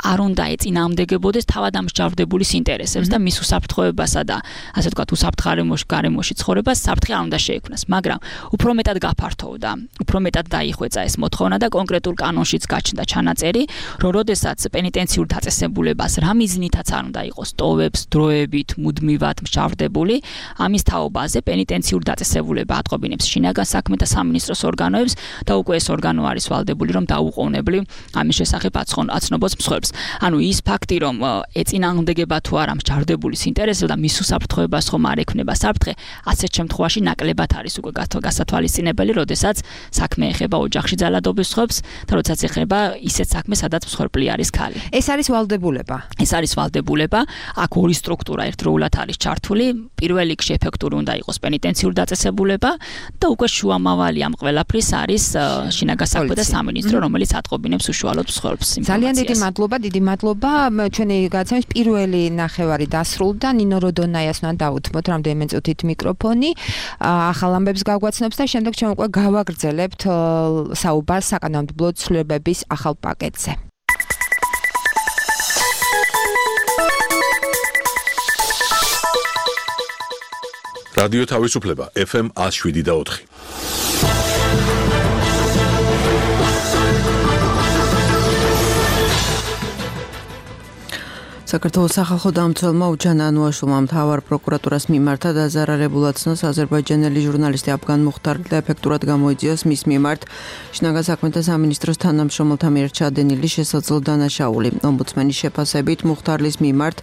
არ უნდა ეწინააღმდეგებოდეს თავად ამსჯავრდებულის ინტერესებს და მის უსაფრთხოებასა და ასე ვთქვათ, უსაფრთხო გარემოში ცხოვრებას საფრთხე არ უნდა შეექმნას, მაგრამ უფრო მეტად გაფართოვდა, უფრო მეტად დაიხვეწა ეს მოთხოვნა და კონკრეტულ კანონშიც გაჩნდა ჩანაწერი, რომ როდესაც პენიტენციურ დაწესებულებას რა მიზნითაც არ უნდა იყოს ტოვებს დროებით მუდმივად მსჯავრდებული, ამის თაობაზე პენიტენციურ დაწესებულება ატყობინებს შინაგან საქმეთა სამინისტროს ორგანოებს და უკვე ეს ორგანო არის ვალდებული, რომ დაუყოვნებლივ ამის შესახებ აცნობს მსხვერპლს. ანუ ის ფაქტი, რომ ეწინააღმდეგება თუ არა მსჯავრდებულის ინტერესებს და მის უსაფრთხოებას ხომ არ ექმნება საფრთხე, ასეთ შემთხვევაში ნაკლებად არის უკვე გასათვალისწინებელი, როდესაც საქმე ეხება ოჯახში ძალადობის მსხვერპლს და როდესაც ეხება ისეთ საქმეს, სადაც მსხვერპლი არის ქალი. ეს არის ვალდებულება. ეს არის ვალდებულება. აქ ორი სტრუქტურა ერთდროულად არის ჩართული. პირველ რიგში ეფექტური უნდა იყოს პენიტენციური დაწესებულება და უკვე შუამავალი ამ ყველაფრის არის შინაგან საქმეთა სამინისტრო, რომელიც ატყობინებს უშუალოდ მსხვერპლს. ძალიან დიდი მადლობა. ჩვენი გადაცემის პირველი ნახევარი დასრულდა. ნინო როდონაიას უნდა დაუთმოთ რამდენიმე წუთით მიკროფონი. ახალ ამბებს გაგვაცნობს და შემდეგ ჩვენ უკვე გავაგრძელებთ საუბარს საკანონმდებლო ცვლილებების ახალ პაკეტზე. რადიო თავისუფლება FM 107.4. საქართველოს სახალხო დამცველმა უჩან ანუაშულმა მთავარ პროკურატურას მიმართა დაზარალებულად ცნოს აზერბაიჯანელი ჟურნალისტი აფგან მუხტარლი და ეფექტურად გამოიძიოს მის მიმართ შინაგან საქმეთა სამინისტროს თანამშრომელთა მიერ ჩადენილი შესაძლო დანაშაული. ომბუდსმენის შეფასებით მუხტარლის მიმართ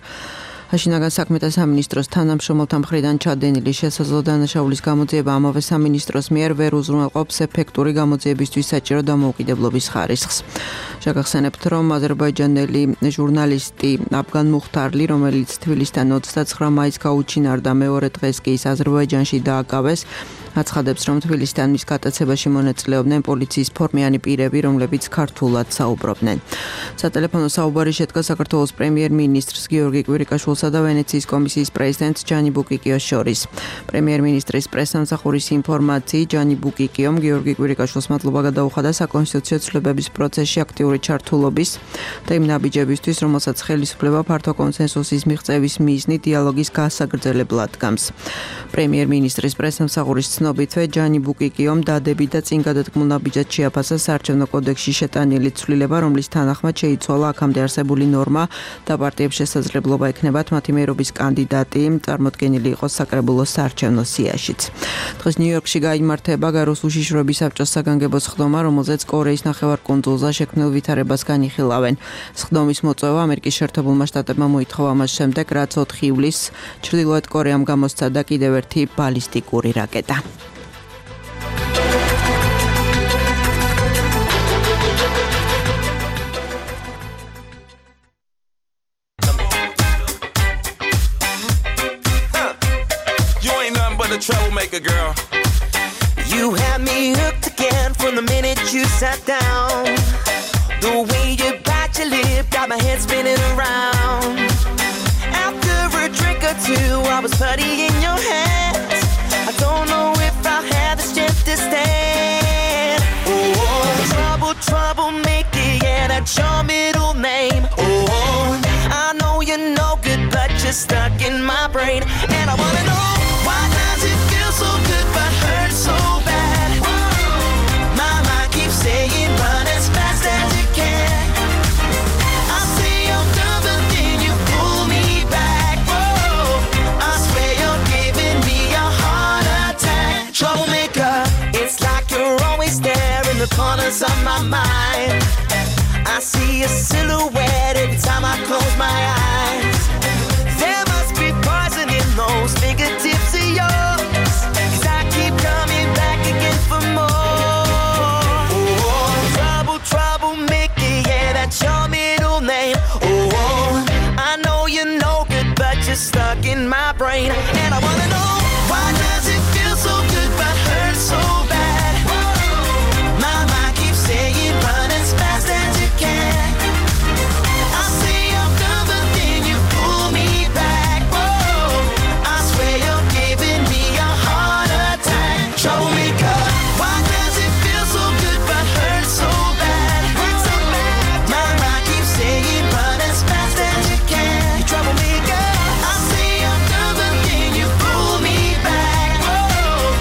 შინაგან საქმეთა სამინისტროს თანამშრომელთა მხრიდან ჩადენილი შესაძლო დანაშაულის გამოძიება ამავე სამინისტროს მიერ ვერ უზრუნველყოფს ეფექტური გამოძიებისთვის საჭირო დამოუკიდებლობის ხარისხს. შეგახსენებთ, რომ აზერბაიჯანელი ჟურნალისტი აფგან მუხტარლი, რომელიც თბილისიდან 29 მაისს გაუჩინარდა, მეორე დღეს კი ის აზერბაიჯანში დააკავეს, აცხადებს, რომ თბილისიდან მის გატაცებაში მონაწილეობდნენ პოლიციის ფორმიანი პირები, რომლებიც ქართულად საუბრობდნენ. სატელეფონო საუბარი შედგა საქართველოს პრემიერ-მინისტრს გიორგი კვირიკაშვილსა და ვენეციის კომისიის პრეზიდენტს ჯანი ბუკიკიოს შორის. პრემიერ-მინისტრის პრესსამსახურის ინფორმაციით, ჯანი ბუკიკიომ გიორგი კვირიკაშვილს მადლობა გადაუხადა საკონსტიტუციო ცვლილებების პროცესში აქტიური ჩართულობის და იმ ნაბიჯებისთვის, რომელსაც ხელისუფლება ფართო კონსენსუსის მიღწევის მიზნით დიალოგის გასაგრძელებლად დგამს. პრემიერ-მინისტრის პრესსამსახურის ცნობითვე ჯანი ბუკიკიომ დადებით და წინ გადადგმულ ნაბიჯად შეაფასა საარჩევნო კოდექსში შეტანილი ცვლილება, რომლის თანახმად შეიცვალა აქამდე არსებული ნორმა და პარტიებს შესაძლებლობა ექნებათ მათი მერობის კანდიდატი წარმოდგენილი იყოს საკრებულოს საარჩევნო სიაშიც. დღეს ნიუ-იორკში გაიმართება გაროს უშიშროების საბჭოს საგანგებო სხდომა, რომელზეც კორეის ნახევარკუნძულზე შექმნილ ვითარებას განიხილავენ. სხდომის მოწვევა ამერიკის შეერთებულმა შტატებმა მოითხოვა ამას შემდეგ, რაც 4 ივლისს ჩრდილოეთ კორეამ გამოსცადა კიდევ ერთი ბალისტიკური რაკეტა. Troublemaker girl, you had me hooked again from the minute you sat down. The way you bite your lip got my head spinning around. After a drink or two, I was putty in your hands. I don't know if I had the strength to stand. Oh, troublemaker, yeah, that's your middle name. Oh, I know you're no good, but you're stuck in my brain, and I wanna know. So good but hurt so bad. My mind keeps saying run as fast as you can. I say I'm done but then you pull me back. Whoa, I swear you're giving me a heart attack. Troublemaker, it's like you're always there in the corners of my mind. I see a silhouette every time I close my eyes. There must be poison in those fingertips of yours. Coming back again for more. Oh, troublemaker, yeah, that's your middle name. Oh, I know you're no good, but you're stuck in my brain, and I wanna know why does it feel so good but hurt so bad? My mind keeps saying run as fast as you can. I say I'm done, but then you pull me back. Whoa, I swear you're giving me a heart attack. Troublemaker, why does it feel so good but hurt so bad? Hurt so bad. My mind keeps saying run as fast as you can. You troublemaker, I say I'm done but then you pull me back. Oh,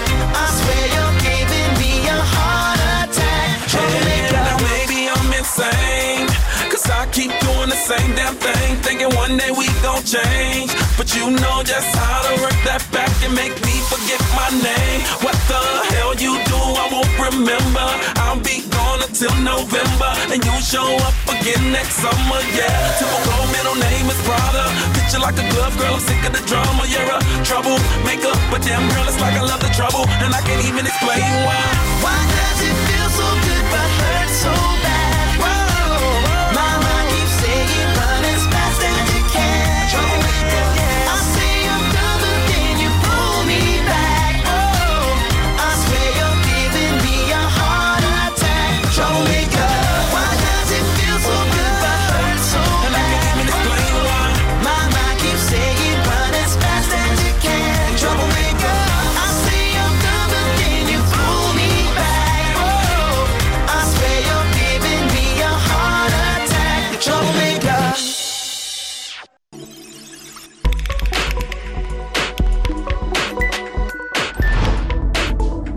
I swear you're giving me a heart attack. Troublemaker, now maybe I'm insane, 'cause I keep doing the same damn thing, thinking one day we gon' change. But you know just how to work that back and make me forget my name. What the hell you do, I won't remember. I'll be gone until November, and you show up again next summer, yeah. Typical middle name is Prada. Picture like a glove, girl, I'm sick of the drama. You're a troublemaker, but damn girl, it's like I love the trouble, and I can't even explain why. Why does it feel so good but hurt so bad? Whoa, my mind keeps saying run as fast as you can. I say I'm done, but then you pull me back. Oh, I swear you're giving me a heart attack. Troublemaker, why does it feel so good but hurt so bad? And I can't even explain why. My mind keeps saying run as fast as you can. Troublemaker, I say I'm done, but then you pull me back. Oh, I swear you're giving me a heart attack. Troublemaker.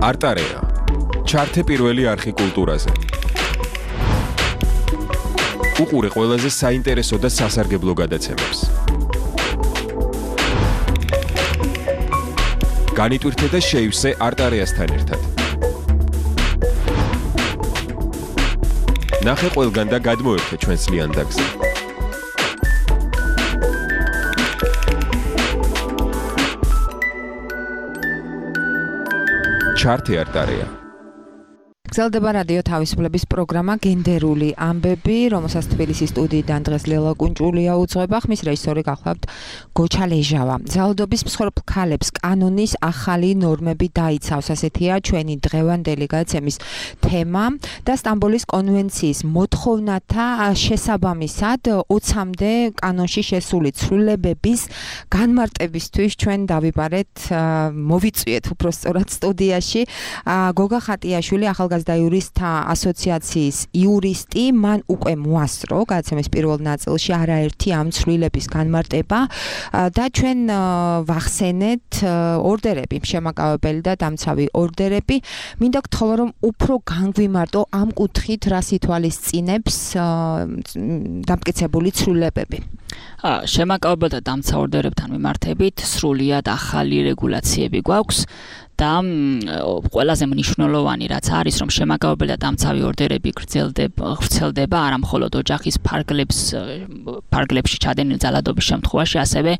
არტარეა. ჩართე პირველი არხი კულტურაზე. უყურე ყველაზე საინტერესო და სასარგებლო გადაცემებს. განიტვირთე და შეივსე არტარეასთან ერთად. ნახე ყველგან და გადმოერთე ჩვენს ლიანდაგზე. ჩართე არტარეა. გრძელდება რადიო თავისუფლების პროგრამა გენდერული ამბები, რომელსაც თბილისის სტუდიიდან დღეს ლელა კუნჭულია უძღვება, ხმის რეჟისორი გახლავთ გოჩა ლეჟავა. ძალადობის მსხვერპლ ქალებს კანონის ახალი ნორმები დაიცავს, ასეთია ჩვენი დღევანდელი გადაცემის თემა და სტამბოლის კონვენციის მოთხოვნათა შესაბამისად 20-მდე კანონში შესული ცვლილებების განმარტებისთვის ჩვენ დავიბარეთ, მოვიწვიეთ უბრალოდ სტუდიაში გოგა ხატიაშვილი ახალგაზრდა იურისტთა ასოციაციის იურისტი, მან უკვე მოასწრო გადაცემის პირველ ნაწილში არაერთი ამ ცვლილების განმარტება და ჩვენ ვახსენეთ ორდერები, შემაკავებელი და დამცავი ორდერები. მინდა გთხოვო, რომ უფრო განგვიმარტო ამ კუთხით რას ითვალისწინებს დამტკიცებული ცვლილებები. შემაკავებელ და დამცავ ორდერებთან მიმართებით სრულიად ახალი რეგულაციები გვაქვს. და ყველაზე მნიშვნელოვანი რაც არის, რომ შემაკავებელი და დამცავი ორდერები გრძელდება არა მხოლოდ ოჯახის ფარგლებში ჩადენილი ძალადობის შემთხვევაში, ასევე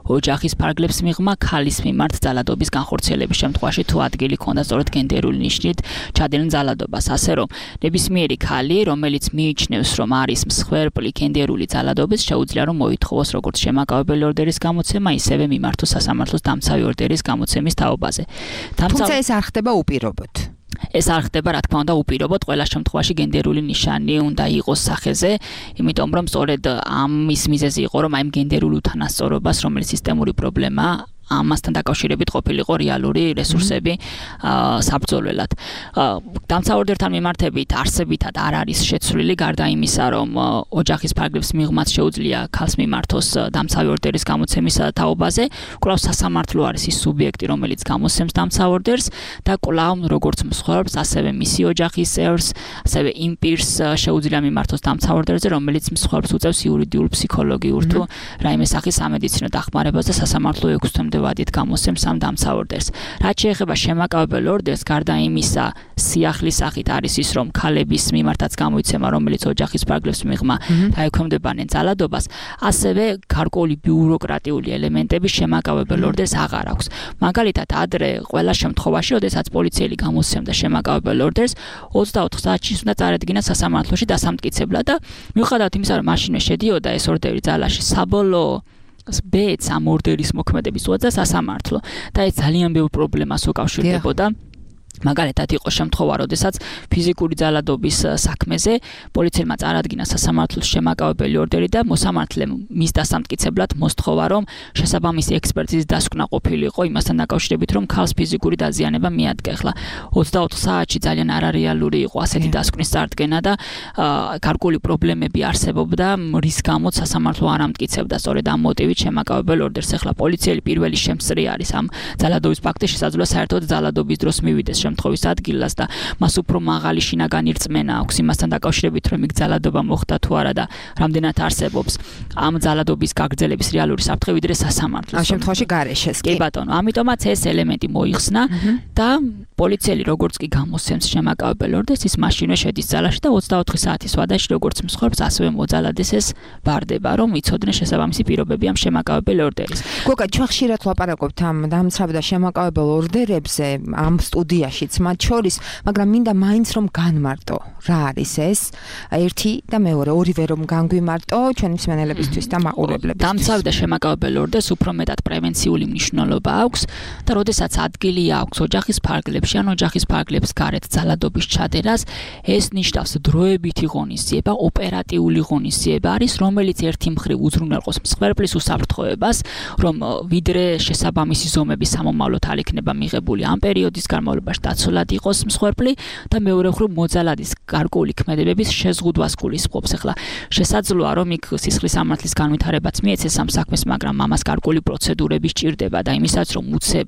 ოჯახის ფარგლებს მიღმა ქალის მიმართ ძალადობის განხორციელების შემთხვევაში, თუ ადგილი ქონდა სწორედ გენდერული ნიშნით ჩადენილ ძალადობას. ასე რომ ნებისმიერი ქალი, რომელიც მიიჩნევს, რომ არის მსხვერპლი გენდერული ძალადობის, შეუძლია რომ მოითხოვოს როგორც შემაკავებელი ორდერის გამოცემა, ისევე მიმართოს სასამართლოს დამცავი ორდერის გამოცემის თაობაზე. თუმცა ეს არ ხდება უპირობოდ. ეს არ ხდება, რა თქმა უნდა, უპირობოდ, ყველა შემთხვევაში გენდერული ნიშანი უნდა იყოს სახეზე, იმიტომ რომ სწორედ ამის მიზეზი იყო, რომ აი ამ გენდერულ უთანასწორობას, რომელიც სისტემური პრობლემაა, ამასთან დაკავშირებით ყოფილიყო რეალური რესურსები საბრძოლველად. დამცავ ორდერთან მიმართებით არსებითად არ არის შეცვლილი, გარდა იმისა, რომ ოჯახის ფარგლებს მიღმაც შეუძლია ქალს მიმართოს დამცავი ორდერის გამოცემის თაობაზე, კვლავ სასამართლო არის ის სუბიექტი, რომელიც გამოსცემს დამცავ ორდერს და კვლავ როგორც მსხვერპლს, ასევე მისი ოჯახის წევრს, ასევე იმ პირს შეუძლია მიმართოს დამცავ ორდერზე, რომელიც მსხვერპლს უწევს იურიდიულ, ფსიქოლოგიურ თუ რაიმე სახის სამედიცინო დახმარებას და სასამართლო 6 თვემდე ვადით გამოსცემს ამ დამცავ ორდერს. რაც შეეხება შემაკავებელ ორდერს, გარდა იმისა, სიახლის სახით არის ის, რომ ქალების მიმართაც გამოიცემა, რომელიც ოჯახის ფარგლებს მიღმა დაექვემდებარნენ ძალადობას, ასევე გარკვეული ბიუროკრატიული ელემენტები შემაკავებელ ორდერს აღარ აქვს. მაგალითად, ადრე ყველა შემთხვევაში, როდესაც პოლიციელი გამოსცემდა შემაკავებელ ორდერს, 24 საათში უნდა წარედგინა სასამართლოში დასამტკიცებლად და მიუხედავად იმისა, რომ მაშინვე შედიოდა ეს ორდერი ძალაში, საბოლოო ბედს ამ ორდერის მოქმედების უწევდა სასამართლო და ეს ძალიან ბევრ პრობლემას უკავშირდებოდა. მაგალითად იყო შემთხვევა, როდესაც ფიზიკური ძალადობის საქმეზე პოლიციელმა წარადგინა სასამართლოს შემაკავებელი ორდერი და მოსამართლემ მის დასამტკიცებლად მოსთხოვა, რომ შესაბამისი ექსპერტიზის დასკვნა ყოფილიყო იმასთან დაკავშირებით, რომ ქალს ფიზიკური დაზიანება მიადგეხლა. 24 საათში ძალიან არარეალური იყო ასეთი დასკვნის წარდგენა და გარკვეული პრობლემები არსებობდა, რის გამოც სასამართლო არ ამტკიცებდა სწორედ ამ მოტივით შემაკავებელ ორდერს. ახლა პოლიციელი პირველი შემწრი არის ამ ძალადობის ფაქტის შესაძლოა საერთოდ ძალადობის დროს მივიდეს შემთხვევის ადგილას და მას უფრო მაღალი შინაგანი რწმენა აქვს იმასთან დაკავშირებით, რომ იქ ძალადობა მოხდა თუ არა და რამდენად არსებობს ამ ძალადობის გაგრძელების რეალური საფრთხე, ვიდრე სასამართლოს. ამ შემთხვევაში გარეშეს. კი ბატონო, ამიტომაც ეს ელემენტი მოიხსნა და პოლიციელი როგორც კი გამოსცემს შემაკავებელ ორდერს, ის მაშინვე შედის ძალაში და 24 საათის ვადაში როგორც მსხვერპლს, ასევე მოძალადეს ეს ვარდება, რომ იცოდნენ შესაბამისი პირობები ამ შემაკავებელ ორდერის. გოგა, ჩვენ ხშირად ვლაპარაკობთ ამ დამცავ და შემაკავებელ ორდერებზე ამ სტუდიაშიც, მათ შორის, მაგრამ მინდა მაინც რომ განმარტო, რა არის ეს? ერთი და მეორე, ორივე რომ განგვიმარტო ჩვენი მსმენელებისთვის და მაყურებლებისთვის. დამცავ და შემაკავებელ ორდერს უფრო მეტად პრევენციული მნიშვნელობა აქვს და როდესაც ადგილი აქვს ოჯახის ფარგლებში ან ოჯახის ფარგლებს გარეთ ძალადობის ჩადენას, ეს ნიშნავს დროებითი ღონისძიება, ოპერატიული ღონისძიება არის, რომელიც ერთი მხრივ უზრუნველყოს მსხვერპლის უსაფრთხოებას, რომ ვიდრე შესაბამისი ზომები სამომავლოდ არ იქნება მიღებული ამ პერიოდის განმავლობაში დაცულად იყოს მსხვერპლი და მეორე მხრივ მოძალადის გარკვეული ქმედებების შეზღუდვას გულისხმობს. ახლა შესაძლოა რომ იქ სისხლის სამართლის განვითარებაც მიეცეს ამ საქმეს, მაგრამ ამას გარკვეული პროცედურები სჭირდება და იმისაც რომ უცებ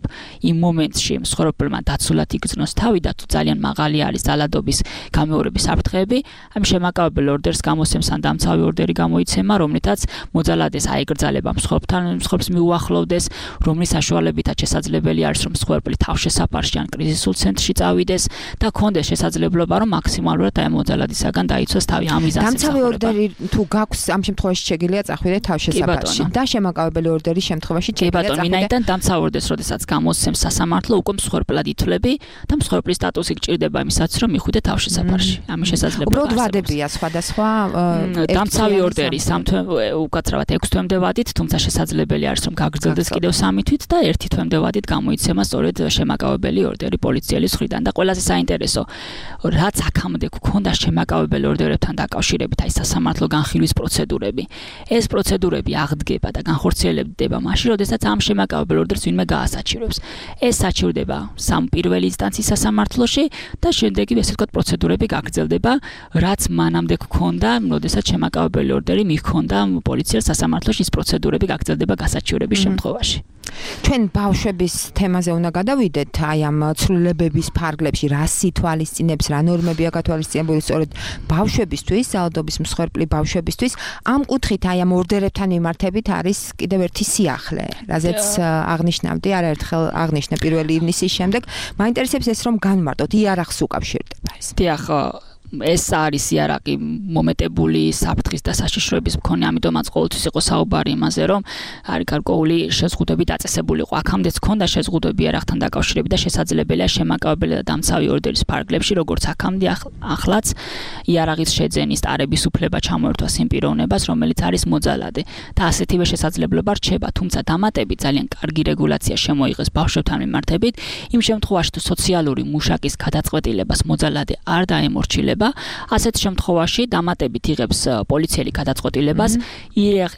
იმ მომენტში მსხვერპლმა დაცულად ნაკლებად იგრძნოს თავი და თუ ძალიან მაღალი არის ძალადობის გამეორების საფრთხეები, ამ შემაკავებელ ორდერს გამოსცემს ან დამცავი ორდერი გამოიცემა, რომლითაც მოძალადეს აეგრძალება მსხვერპლს მიუახლოვდეს, რომლის საშუალებითაც შესაძლებელი არის, რომ მსხვერპლი თავშესაფარში ან კრიზისულ ცენტრში წავიდეს და კონდეს შესაძლებლობა, რომ მაქსიმალურად აი მოძალადისაგან დაიცვას თავი. ამიზანს დამცავი ორდერი თუ გაქვს, ამ შემთხვევაში შეგიძლია წახვიდეთ თავშესაფარში და შემაკავებელი ორდერის შემთხვევაში შეგიძლია წახვიდეთ. ვინაიდან დამცავი ორდერს როდესაც გამოსცემს სასამართლო, უკვე მსხვერპლად ითვლები და მსხვერპლის სტატუსი გჭირდება იმისათვის, რომ მიხვიდე თავშესაფარში. ამის შესაძლებლობა უბრალოდ ვადებია სხვადასხვა დამცავი ორდერი უკაცრავად 6 თვემდე ვადით, თუმცა შესაძლებელი არის, რომ გაგრძელდეს კიდევ 3 თვით და 1 თვემდე ვადით გამოიცემა სწორედ შემაკავებელი ორდერი პოლიციელის მხრიდან. და ყველაზე საინტერესო, რაც აქამდე გქონდა შემაკავებელი ორდერებთან დაკავშირებით, აი სასამართლო განხილვის პროცედურები. ეს პროცედურები აღდგება და განხორციელდება მაშინ, როდესაც ამ შემაკავებელ ორდერს ვინმე გაასაჩივრებს. ეს საჩივრდება პირველი ინსტანციის სასამართლოში და შემდეგი ესე ვთქვათ პროცედურები გაგრძელდება, რაც მანამდე გქონდა, როდესაც შემაკავებელი ორდერი მიჰქონდა პოლიციას სასამართლოში, ის პროცედურები გაგრძელდება გასაჩივრების შემთხვევაში. ჩვენ ბავშვების თემაზე უნდა გადავიდეთ, აი ამ ცვლილებების ფარგლებში რა სითვალისწინებს, რა ნორმებია გათვალისწინებული სწორედ ბავშვებისთვის, ძალადობის მსხვერპლი ბავშვებისთვის. ამ კუთხით აი ამ ორდერებთან მიმართებით არის კიდევ ერთი სიახლე, რაზეც აღნიშნავდი, არაერთხელ აღნიშნე 1 ივნისის შემდეგ. მაინტერესებს ეს, რომ განმარტოთ, იარაღს უკავშირდება ეს. დიახ, ეს არის იარაღი მომეტებული საფრთხის და საშიშროების მქონე, ამიტომაც ყოველთვის იყო საუბარი იმაზე, რომ არის გარკვეული შეზღუდვები დაწესებული იყო. აქამდეც ჰქონდა შეზღუდვები იარაღთან დაკავშირებით და შესაძლებელია შემაკავებელი და დამცავი ორდერის ფარგლებში, როგორც აქამდე ახლაც იარაღის შეძენის ტარების უფლება ჩამოერთვას იმ პიროვნებას, რომელიც არის მოძალადე და ასეთივე შესაძლებლობა რჩება, თუმცა დამატებით ძალიან კარგი რეგულაცია შემოიღეს ბავშვებთან მიმართებით, იმ შემთხვევაში თუ სოციალური მუშაკის გადაწყვეტილებას მოძალადე არ დაემორჩილება, ასეთ შემთხვევაში დამატებით იღებს პოლიციელი გადაწყვეტილებას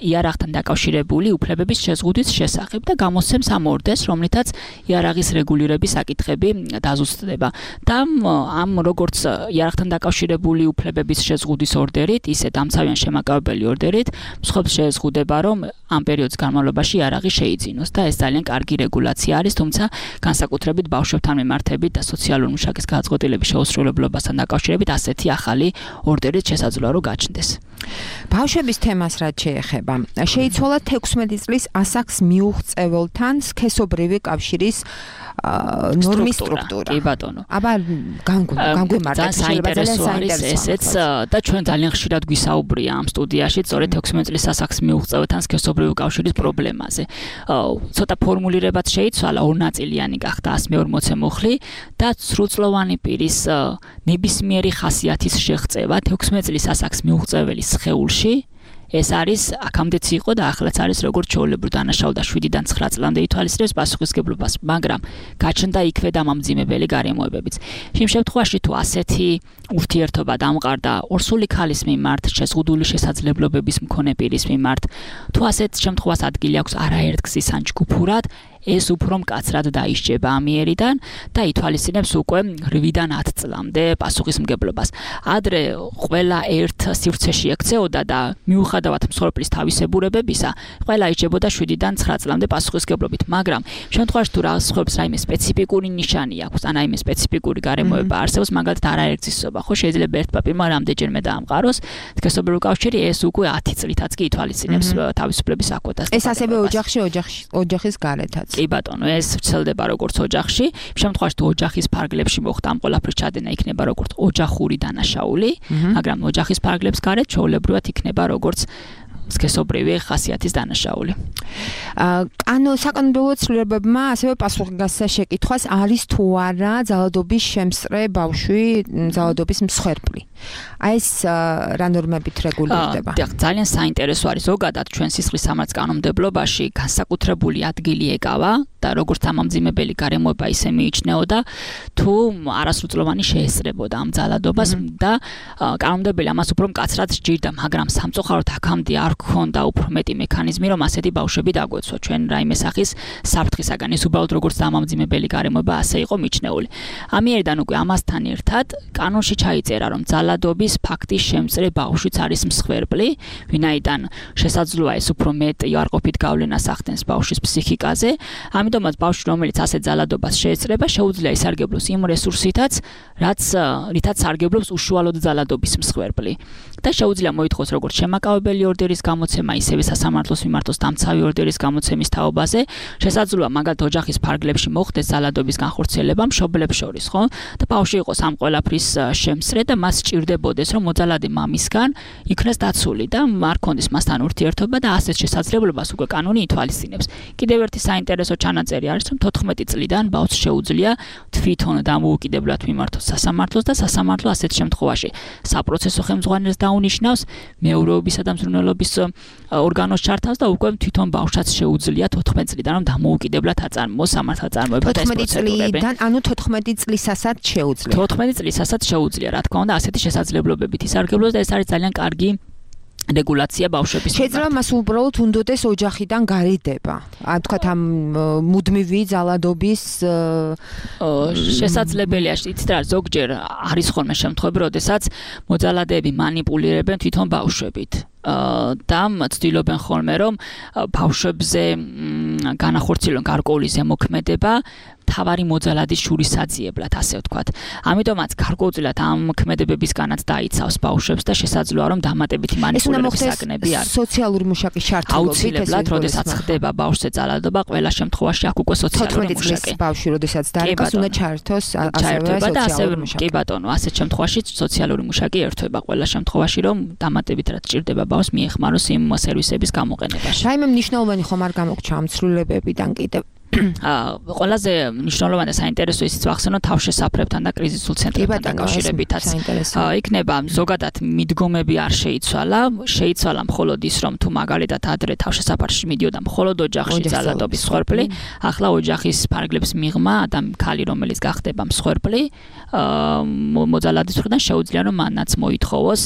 იარაღთან დაკავშირებული უფლებების შეზღუდვის შესახებ და გამოსცემს ამ ორდერს, რომლითაც იარაღის რეგულირების საკითხები დაზუსტდება. და ამ როგორც იარაღთან დაკავშირებული უფლებების შეზღუდვის ორდერით, ისე დამცავიან შემაკავებელი ორდერით მსხვერპლს შეეზღუდება, რომ ამ პერიოდის განმავლობაში იარაღი შეიძინოს და ეს ძალიან კარგი რეგულაცია არის, თუმცა განსაკუთრებით ბავშვებთან მიმართებით და სოციალური მუშაკის გადაწყვეტილების შეუსრულებლობასთან დაკავშირებით ასეთი ახალი ორდერით შესაძლოა რომ გაჩნდეს. ბავშვების თემას რაც შეეხება, შეიცვალა 16 წლის ასაკს მიუღწეველთან სქესობრივი კავშირის ნორმის სტრუქტურა. კი ბატონო. აბა განგვიმარტეთ, საინტერესო არის ესეც და ჩვენ ძალიან ხშირად გვისაუბრია ამ სტუდიაში სწორედ 16 წლის ასაკს მიუღწეველთან სქესობრივი კავშირის პრობლემაზე. ცოტა ფორმულირებაც შეიცვალა, ორნაწილიანი გახდა 140 მუხლი და სრულწლოვანი პირის ნებისმიერი ხასიათის შეღწევა 16 წლის ასაკს მიუღწეველის სხეულში. ეს არის აქამდეც იყო და ახლაც არის როგორც ჩვეულებრივ დანაშაულდა 7-დან 9 წლამდე ითვალისწინებს პასუხისგებლობას, მაგრამ გაჩნდა იქვე დამამძიმებელი გარემოებებიც. იმ შემთხვევაში თუ ასეთი ურთიერთობა დამყარდა ორსული ქალის მიმართ, შეზღუდული შესაძლებლობების მქონე პირის მიმართ, თუ ასეთ შემთხვევას ადგილი აქვს არაერთგზის ან ჯგუფურად, ეს უფრო მკაცრად დაისჯება ამიერიდან და ითვალისწინებს უკვე 8-დან 10 წლამდე პასუხისმგებლობას. ადრე ყველა ერთ სივრცეში ექცეოდა და მიუხედავად მსხვერპლის თავისებურებებისა, ყველა იჯებოდა 7-დან 9 წლამდე პასუხისმგებლობით, მაგრამ შემთხვევაში თუ მსხვერპლს რაიმე სპეციფიკური ნიშანი აქვს, ან რაიმე სპეციფიკური გარემოება არსებობს, მაგალითად არაერთგზისობა, ხო შეიძლება ერთ პაპირმა რამდენჯერმე დაამყაროს სქესობრივი კავშირი, ეს უკვე 10 წლითაც კი ითვალისწინებს თავისუფლების აკვეთას. ეს ასევე ოჯახის გარეთაც. კი ბატონო, ეს ვრცელდება როგორც ოჯახში. შემთხვევაში თუ ოჯახის ფარგლებში მოხდა ამ ყველაფრის ჩადენა, იქნება როგორც ოჯახური დანაშაული, მაგრამ ოჯახის ფარგლებს გარეთ ჩვეულებრივად იქნება როგორც სქესობრივი ხასიათის დანაშაული. საკანონმდებლო ცვლილებებმა ასევე პასუხისგასა შეკითხვას არის თუ არა ძალადობის შემსწრე ბავშვი ძალადობის მსხვერპლი. აი ეს რა ნორმებით რეგულირდება? ძალიან საინტერესო არის ზოგადად ჩვენ სისხლის სამართლის კანონმდებლობაში განსაკუთრებული ადგილი ეკავა და როგორც დამამძიმებელი გარემოება ისე მიიჩნეოდა თუ არასრულწლოვანი შეესწრებოდა ამ ძალადობას და კანონმდებელი ამას უფრო მკაცრად სჯერდა, მაგრამ სამწუხაროდ აქამდე არ გქონდა უფრო მეტი მექანიზმი, რომ ასეთი ბავშვები დაგვეცვა ჩვენ რაიმე სახის საფრთხისაგან. ეს უბრალოდ როგორც დამამძიმებელი გარემოება ასე იყო მიჩნეული. ამიერიდან უკვე ამასთან ერთად კანონში ჩაიწერა, რომ ძალადობის ფაქტის შემწრე ბავშვიც არის მსხვერპლი, ვინაიდან შესაძლოა ეს უფრო მეტ იარყოფით გავლენას ახდენს ბავშვის ფსიქიკაზე. ამიტომაც ბავშვი, რომელიც ასეთ ძალადობას შეეწრება, შეუძლია ისარგებლოს იმ რესურსითაც, რითაც სარგებლობს უშუალოდ ძალადობის მსხვერპლი. და შეუძლია მოითხოვს როგორც შემაკავებელი ორდერის გამოცემა, ისევე სასამართლოს მიმართოს დამცავი ორდერის გამოცემის თაობაზე, შესაძლოა მაგალითად ოჯახის ფარგლებში მოხდეს ძალადობის განხორციელება მშობლებს შორის, ხო? და ბავშვი იყოს ამ ყველაფრის შემსწრე და მას სჭირდებოდეს, რომ მოძალადი მამისგან იქნეს დაცული და არ ქონდეს მასთან ურთიერთობა და ასეთ შესაძლებლობას უკვე კანონი ითვალისწინებს. კიდევ ერთი საინტერესო ჩანაწერი არის, რომ 14 წლიდან ბავშვს შეუძლია თვითონ დამოუკიდებლად მიმართოს სასამართლოს და სასამართლო ასეთ შემთხვევაში საპროცესო ხელმძღვანელს დაუნიშნავს, მეურვეობისა და მზრუნველობის ორგანოს ჩართავს და უკვე თვითონ ბავშვსაც შეუძლია 14 წლიდან რომ დამოუკიდებლად აწარმოოს სამართალწარმოება და ეს პროცედურები. 14 წლიდან, ანუ 14 წლისასაც შეუძლია. 14 წლისასაც შეუძლია, რა თქმა უნდა, ასეთი შესაძლებლობებით ისარგებლოს და ეს არის ძალიან კარგი რეგულაცია ბავშვების. შეიძლება მას უბრალოდ უნდოდეს ოჯახიდან გარიდება. თქვათ ამ მუდმივი ძალადობის შესაძლებელია, იცით რა, ზოგჯერ არის ხოლმე შემთხვევები, როდესაც მოძალადეები манипуლირებენ თვითონ ბავშვებით. და ცდილობენ ხოლმე რომ ბავშვებზე განახორციელონ გარკვეული ზემოქმედება თავარი მოძალადის შურისაძიებლად, ასე ვთქვათ. ამიტომაც გარკვეულწილად ამ ქმედებებისგანაც დაიცავს ბავშვებს და შესაძლოა რომ დამატებითი манипуლირების საგნები არის. სოციალური მუშაკის შარტულობით აუცილებლად, როდესაც ხდება ბავშვზე ძალადობა, ყველა შემთხვევაში აქ უკვე სოციალური მუშაკი. ბავშვი, როდესაც დაიკას, უნდა ჩაერთოს ასევე სოციალური მუშაკი. კი ბატონო, ასეთ შემთხვევაში სოციალური მუშაკი ერთვება ყველა შემთხვევაში, რომ დამატებით რაც ჭირდება ბავშვს მიეხმაროს იმ სერვისების გამოყენებაში. რაიმე მნიშვნელოვანი ხომ არ გამოგჩა ამ ცვლილებებიდან კიდევ? ყველაზე მნიშვნელოვანი და საინტერესო ისიც ვახსენოთ თავშესაფრებთან და კრიზისულ ცენტრებთან დაკავშირებითაც. იქნება ზოგადად მიდგომები არ შეიცვალა მხოლოდ ის, რომ თუ მაგალითად ადრე თავშესაფარში მიდიოდა მხოლოდ ოჯახში ძალადობის მსხვერპლი, ახლა ოჯახის ფარგლებს მიღმა ქალი, რომელიც გახდება მსხვერპლი, მოძალადის მხრიდან შეუძლია რომ მანაც მოითხოვოს,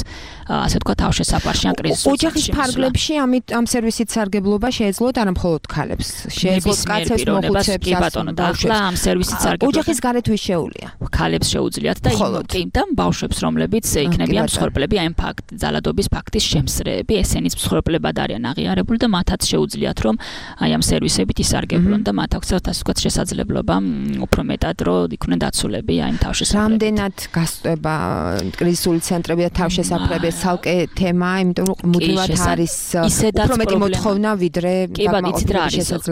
ასე ვთქვათ, თავშესაფარში ან კრიზისულ ცენტრში. ოჯახის ფარგლებში ამ სერვისით სარგებლობა შეეძლოთ არა მხოლოდ ქალებს, შეეძლოთ კაცებს კი ბატონო, და ახლა ამ სერვისით სარგებლობა ოჯახის გარეთ ვის შეუძლია? ქალებს შეუძლიათ და იმ ბავშვებს, რომლებიც იქნებიან მსხვერპლები, აი ძალადობის ფაქტის შემსწრეები, ესენიც მსხვერპლებად არიან აღიარებული და მათაც შეუძლიათ რომ აი ამ სერვისებით ისარგებლონ და მათ აქვს ასე ვთქვათ შესაძლებლობა უფრო მეტად რომ იყვნენ დაცულები აი ამ თავშესაფრებით. რამდენად გასწვება კრიზისული ცენტრები და თავშესაფრები ცალკე თემა, იმიტომ რომ მუდმივად არის უფრო მეტი მოთხოვნა ვიდრე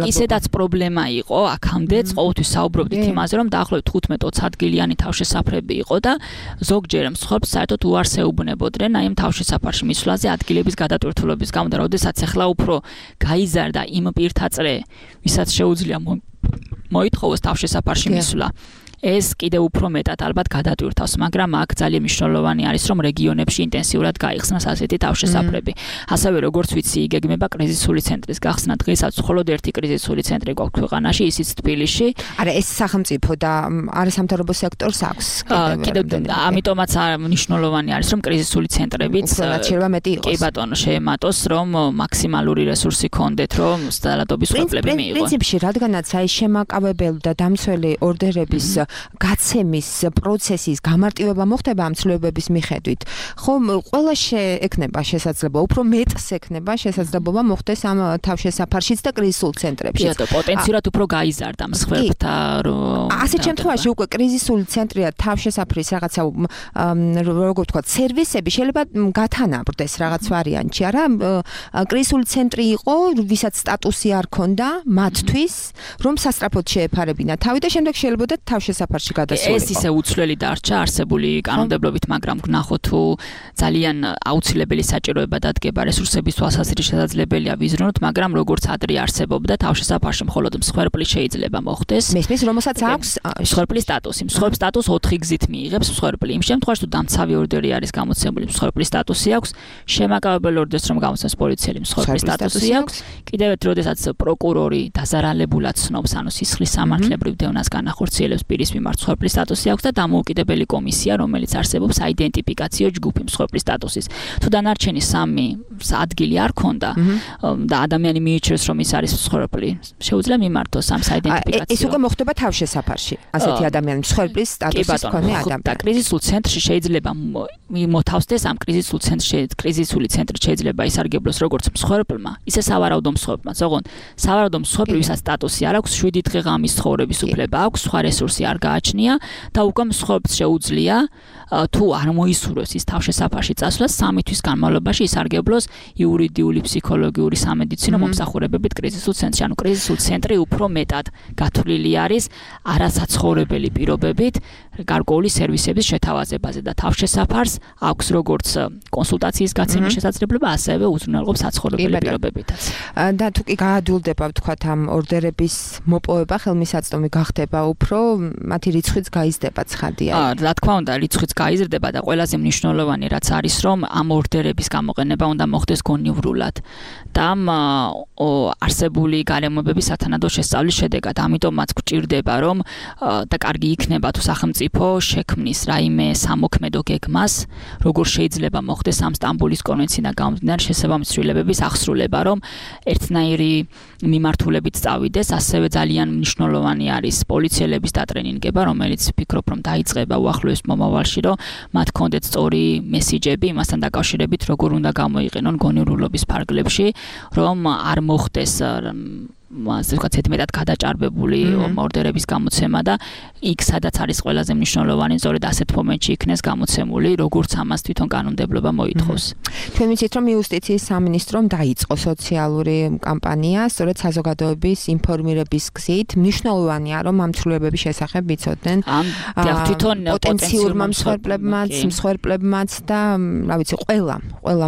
ისედაც პრობლემა იყო აქამდეც ყოველთვის საუბრობდით იმაზე რომ დაახლოებით 15-20 ადგილიანი თავშესაფრები იყო და ზოგჯერ მსხვერპლს საერთოდ უარს ეუბნებოდნენ აი ამ თავშესაფარში მისვლაზე ადგილების გადატვირთულობის გამო და როდესაც ახლა უფრო გაიზარდა იმ პირთაწრე ვისაც შეუძლია მოითხოვოს თავშესაფარში მისვლა ეს კიდევ უფრო მეტად ალბათ გადატვირთავს, მაგრამ აქ ძალიან მნიშვნელოვანი არის, რომ რეგიონებში ინტენსიურად გაიხსნას ასეთი თავშესაფრები. ასევე როგორც ვიცი, იგეგმება კრიზისული ცენტრის გახსნა. დღესაც მხოლოდ ერთი კრიზისული ცენტრი გვაქვს ქვეყანაში, ისიც თბილისში. არა, ეს სახელმწიფო და არასამთავრობო სექტორს აქვს. კიდევ ამიტომაც მნიშვნელოვანი არის, რომ კრიზისული ცენტრებიც კი ბატონო შეემატოს, რომ მაქსიმალური რესურსი ქონდეთ, რომ ძალადობის მსხვერპლები მიიღონ. პრინციპში, რადგანაც აი შემაკავებელი და დამცველი ორდერების გაცემის პროცესის გამარტივება მოხდება ამ ცვლილებების მიხედვით. ხომ ყველა შეექნება შესაძლებლობა, უფრო მეტს ექნება შესაძლებლობა მოხდეს ამ თავშესაფარშიც და კრიზისულ ცენტრებში. კი, პოტენციურად უფრო გაიზარდა მსხვერპლთა ასეთ შემთხვევაში უკვე კრიზისული ცენტრი და თავშესაფრის რაღაცა როგორ ვთქვათ, სერვისები შეიძლება გათანაბრდეს რაღაც ვარიანტში, არა? კრიზისული ცენტრი იყო, ვისაც სტატუსი არ ქონდა მათთვის, რომ სასწრაფოდ შეეფარებინა თავი და შემდეგ შეიძლება თავშესაფარში გადასულიყო. ეს ისე უცვლელი დარჩა არსებული კანონმდებლობით, მაგრამ ვნახოთ თუ ძალიან აუცილებელი საჭიროება დადგება რესურსების თვალსაზრისით შესაძლებელია ვიზრუნოთ, მაგრამ როგორც ადრე არსებობდა თავშესაფარში მხოლოდ მსხვერპლი შეიძლება მოხდეს. მესმის, რომელსაც აქვს მსხვერპლის სტატუსი. მსხვერპლის სტატუსს 4 გზით მიიღებს მსხვერპლი. იმ შემთხვევაში თუ დამცავი ორდერი არის გამოცემული, მსხვერპლის სტატუსი აქვს, შემაკავებელი ორდერს რომ გამოცემს პოლიციელი, მსხვერპლის სტატუსი აქვს. კიდევ ერთ როდესაც პროკურორი დაზარალებულად ცნობს, ანუ სისხლის სამართლებრივ დევნას განახორციელებს პირის მიმართ მსხვერპლის სტატუსი აქვს და დამოუკიდებელი კომისია, რომელიც არსებობს აიდენტიფიკაციო ჯგუფი მსხვერპლის სტატუსის. თუ დანარჩენი 3 ადგილი არ ქონდა და ადამიანი მიიჩნევს რომ ის არის მსხვერპლი შეუძლია მიმართოს ამ საიდენტიფიკაციო ეს უკვე მოხდება თავშესაფარში ასეთი ადამიანის მსხვერპლის სტატუსის მქონე ადამიანი და კრიზისულ ცენტრში შეიძლება მოთავსდეს ამ კრიზისული ცენტრი შეიძლება ისარგებლოს როგორც მსხვერპლმა ისე სავარაუდო მსხვერპლმაც ოღონდ სავარაუდო მსხვერპლი ვისაც სტატუსი არ აქვს 7 დღე ღამის ცხოვრების უფლება აქვს სხვა რესურსი არ გააჩნია და უკვე მსხვერპლს შეუძლია თუ არ მოისურვებს ის თავშესაფარში წასვლა 3 თვის განმავლობაში ისარგებლოს იურიდიული, ფსიქოლოგიური, სამედიცინო მომსახურებებით კრიზისულ ცენტრში. ანუ კრიზისულ ცენტრი უფრო მეტად გათვლილი არის არასაცხოვრებელი პირობებით გარკვეული სერვისების შეთავაზებაზე და თავშესაფარს აქვს როგორც კონსულტაციის გაცემის შესაძლებლობა, ასევე უზრუნველყოფს საცხოვრებელი პირობებითაც. და თუ კი გაადვილდება ვთქვათ ამ ორდერების მოპოვება, ხელმისაწვდომი გახდება უფრო მათი რიცხვიც გაიზრდება ცხადია. რა თქმა უნდა, რიცხვიც გაიზრდება და ყველაზე მნიშვნელოვანი რაც არის რომ ამ ორდერების გამოყენება უნდა მოხდეს გონივრულად და არსებული გარემოებების სათანადო შესწავლის შედეგად. ამიტომაც გვჭირდება რომ და კარგი იქნება თუ სახელმწიფო შექმნის რაიმე სამოქმედო გეგმას, როგორ შეიძლება მოხდეს ამ სტამბოლის კონვენციიდან გამომდინარე შესაბამისი ცვლილებების აღსრულება, რომ ერთნაირი მიმართულებით წავიდეს, ასევე ძალიან მნიშვნელოვანი არის პოლიციელების დატრენინგება, რომელიც ვფიქრობ რომ დაიწყება უახლოეს მომავალში, რომ მათ კონდეთ სწორი მესიჯები იმასთან დაკავშირებით, როგორ უნდა გამოიყენონ გონივრულობის ფარგლებში, რომ არ მოხდეს ასე ვთქვათ, მეტად გადაჭარბებული ორდერების გამოცემა და იქ სადაც არის ყველაზე მნიშვნელოვანი, სწორედ ასეთ მომენტში იქნეს გამოცემული, როგორც ამას თვითონ კანონმდებლობა მოითხოვს. ჩვენ ვიცით, რომ იუსტიციის სამინისტრომ დაიწყო სოციალური კამპანია, სწორედ საზოგადოების ინფორმირების გზით. მნიშვნელოვანია, რომ ამ ცვლილებების შესახებ ვიცოდნენ თვითონ პოტენციურმა მსხვერპლებმაც და რა ვიცი, ყველა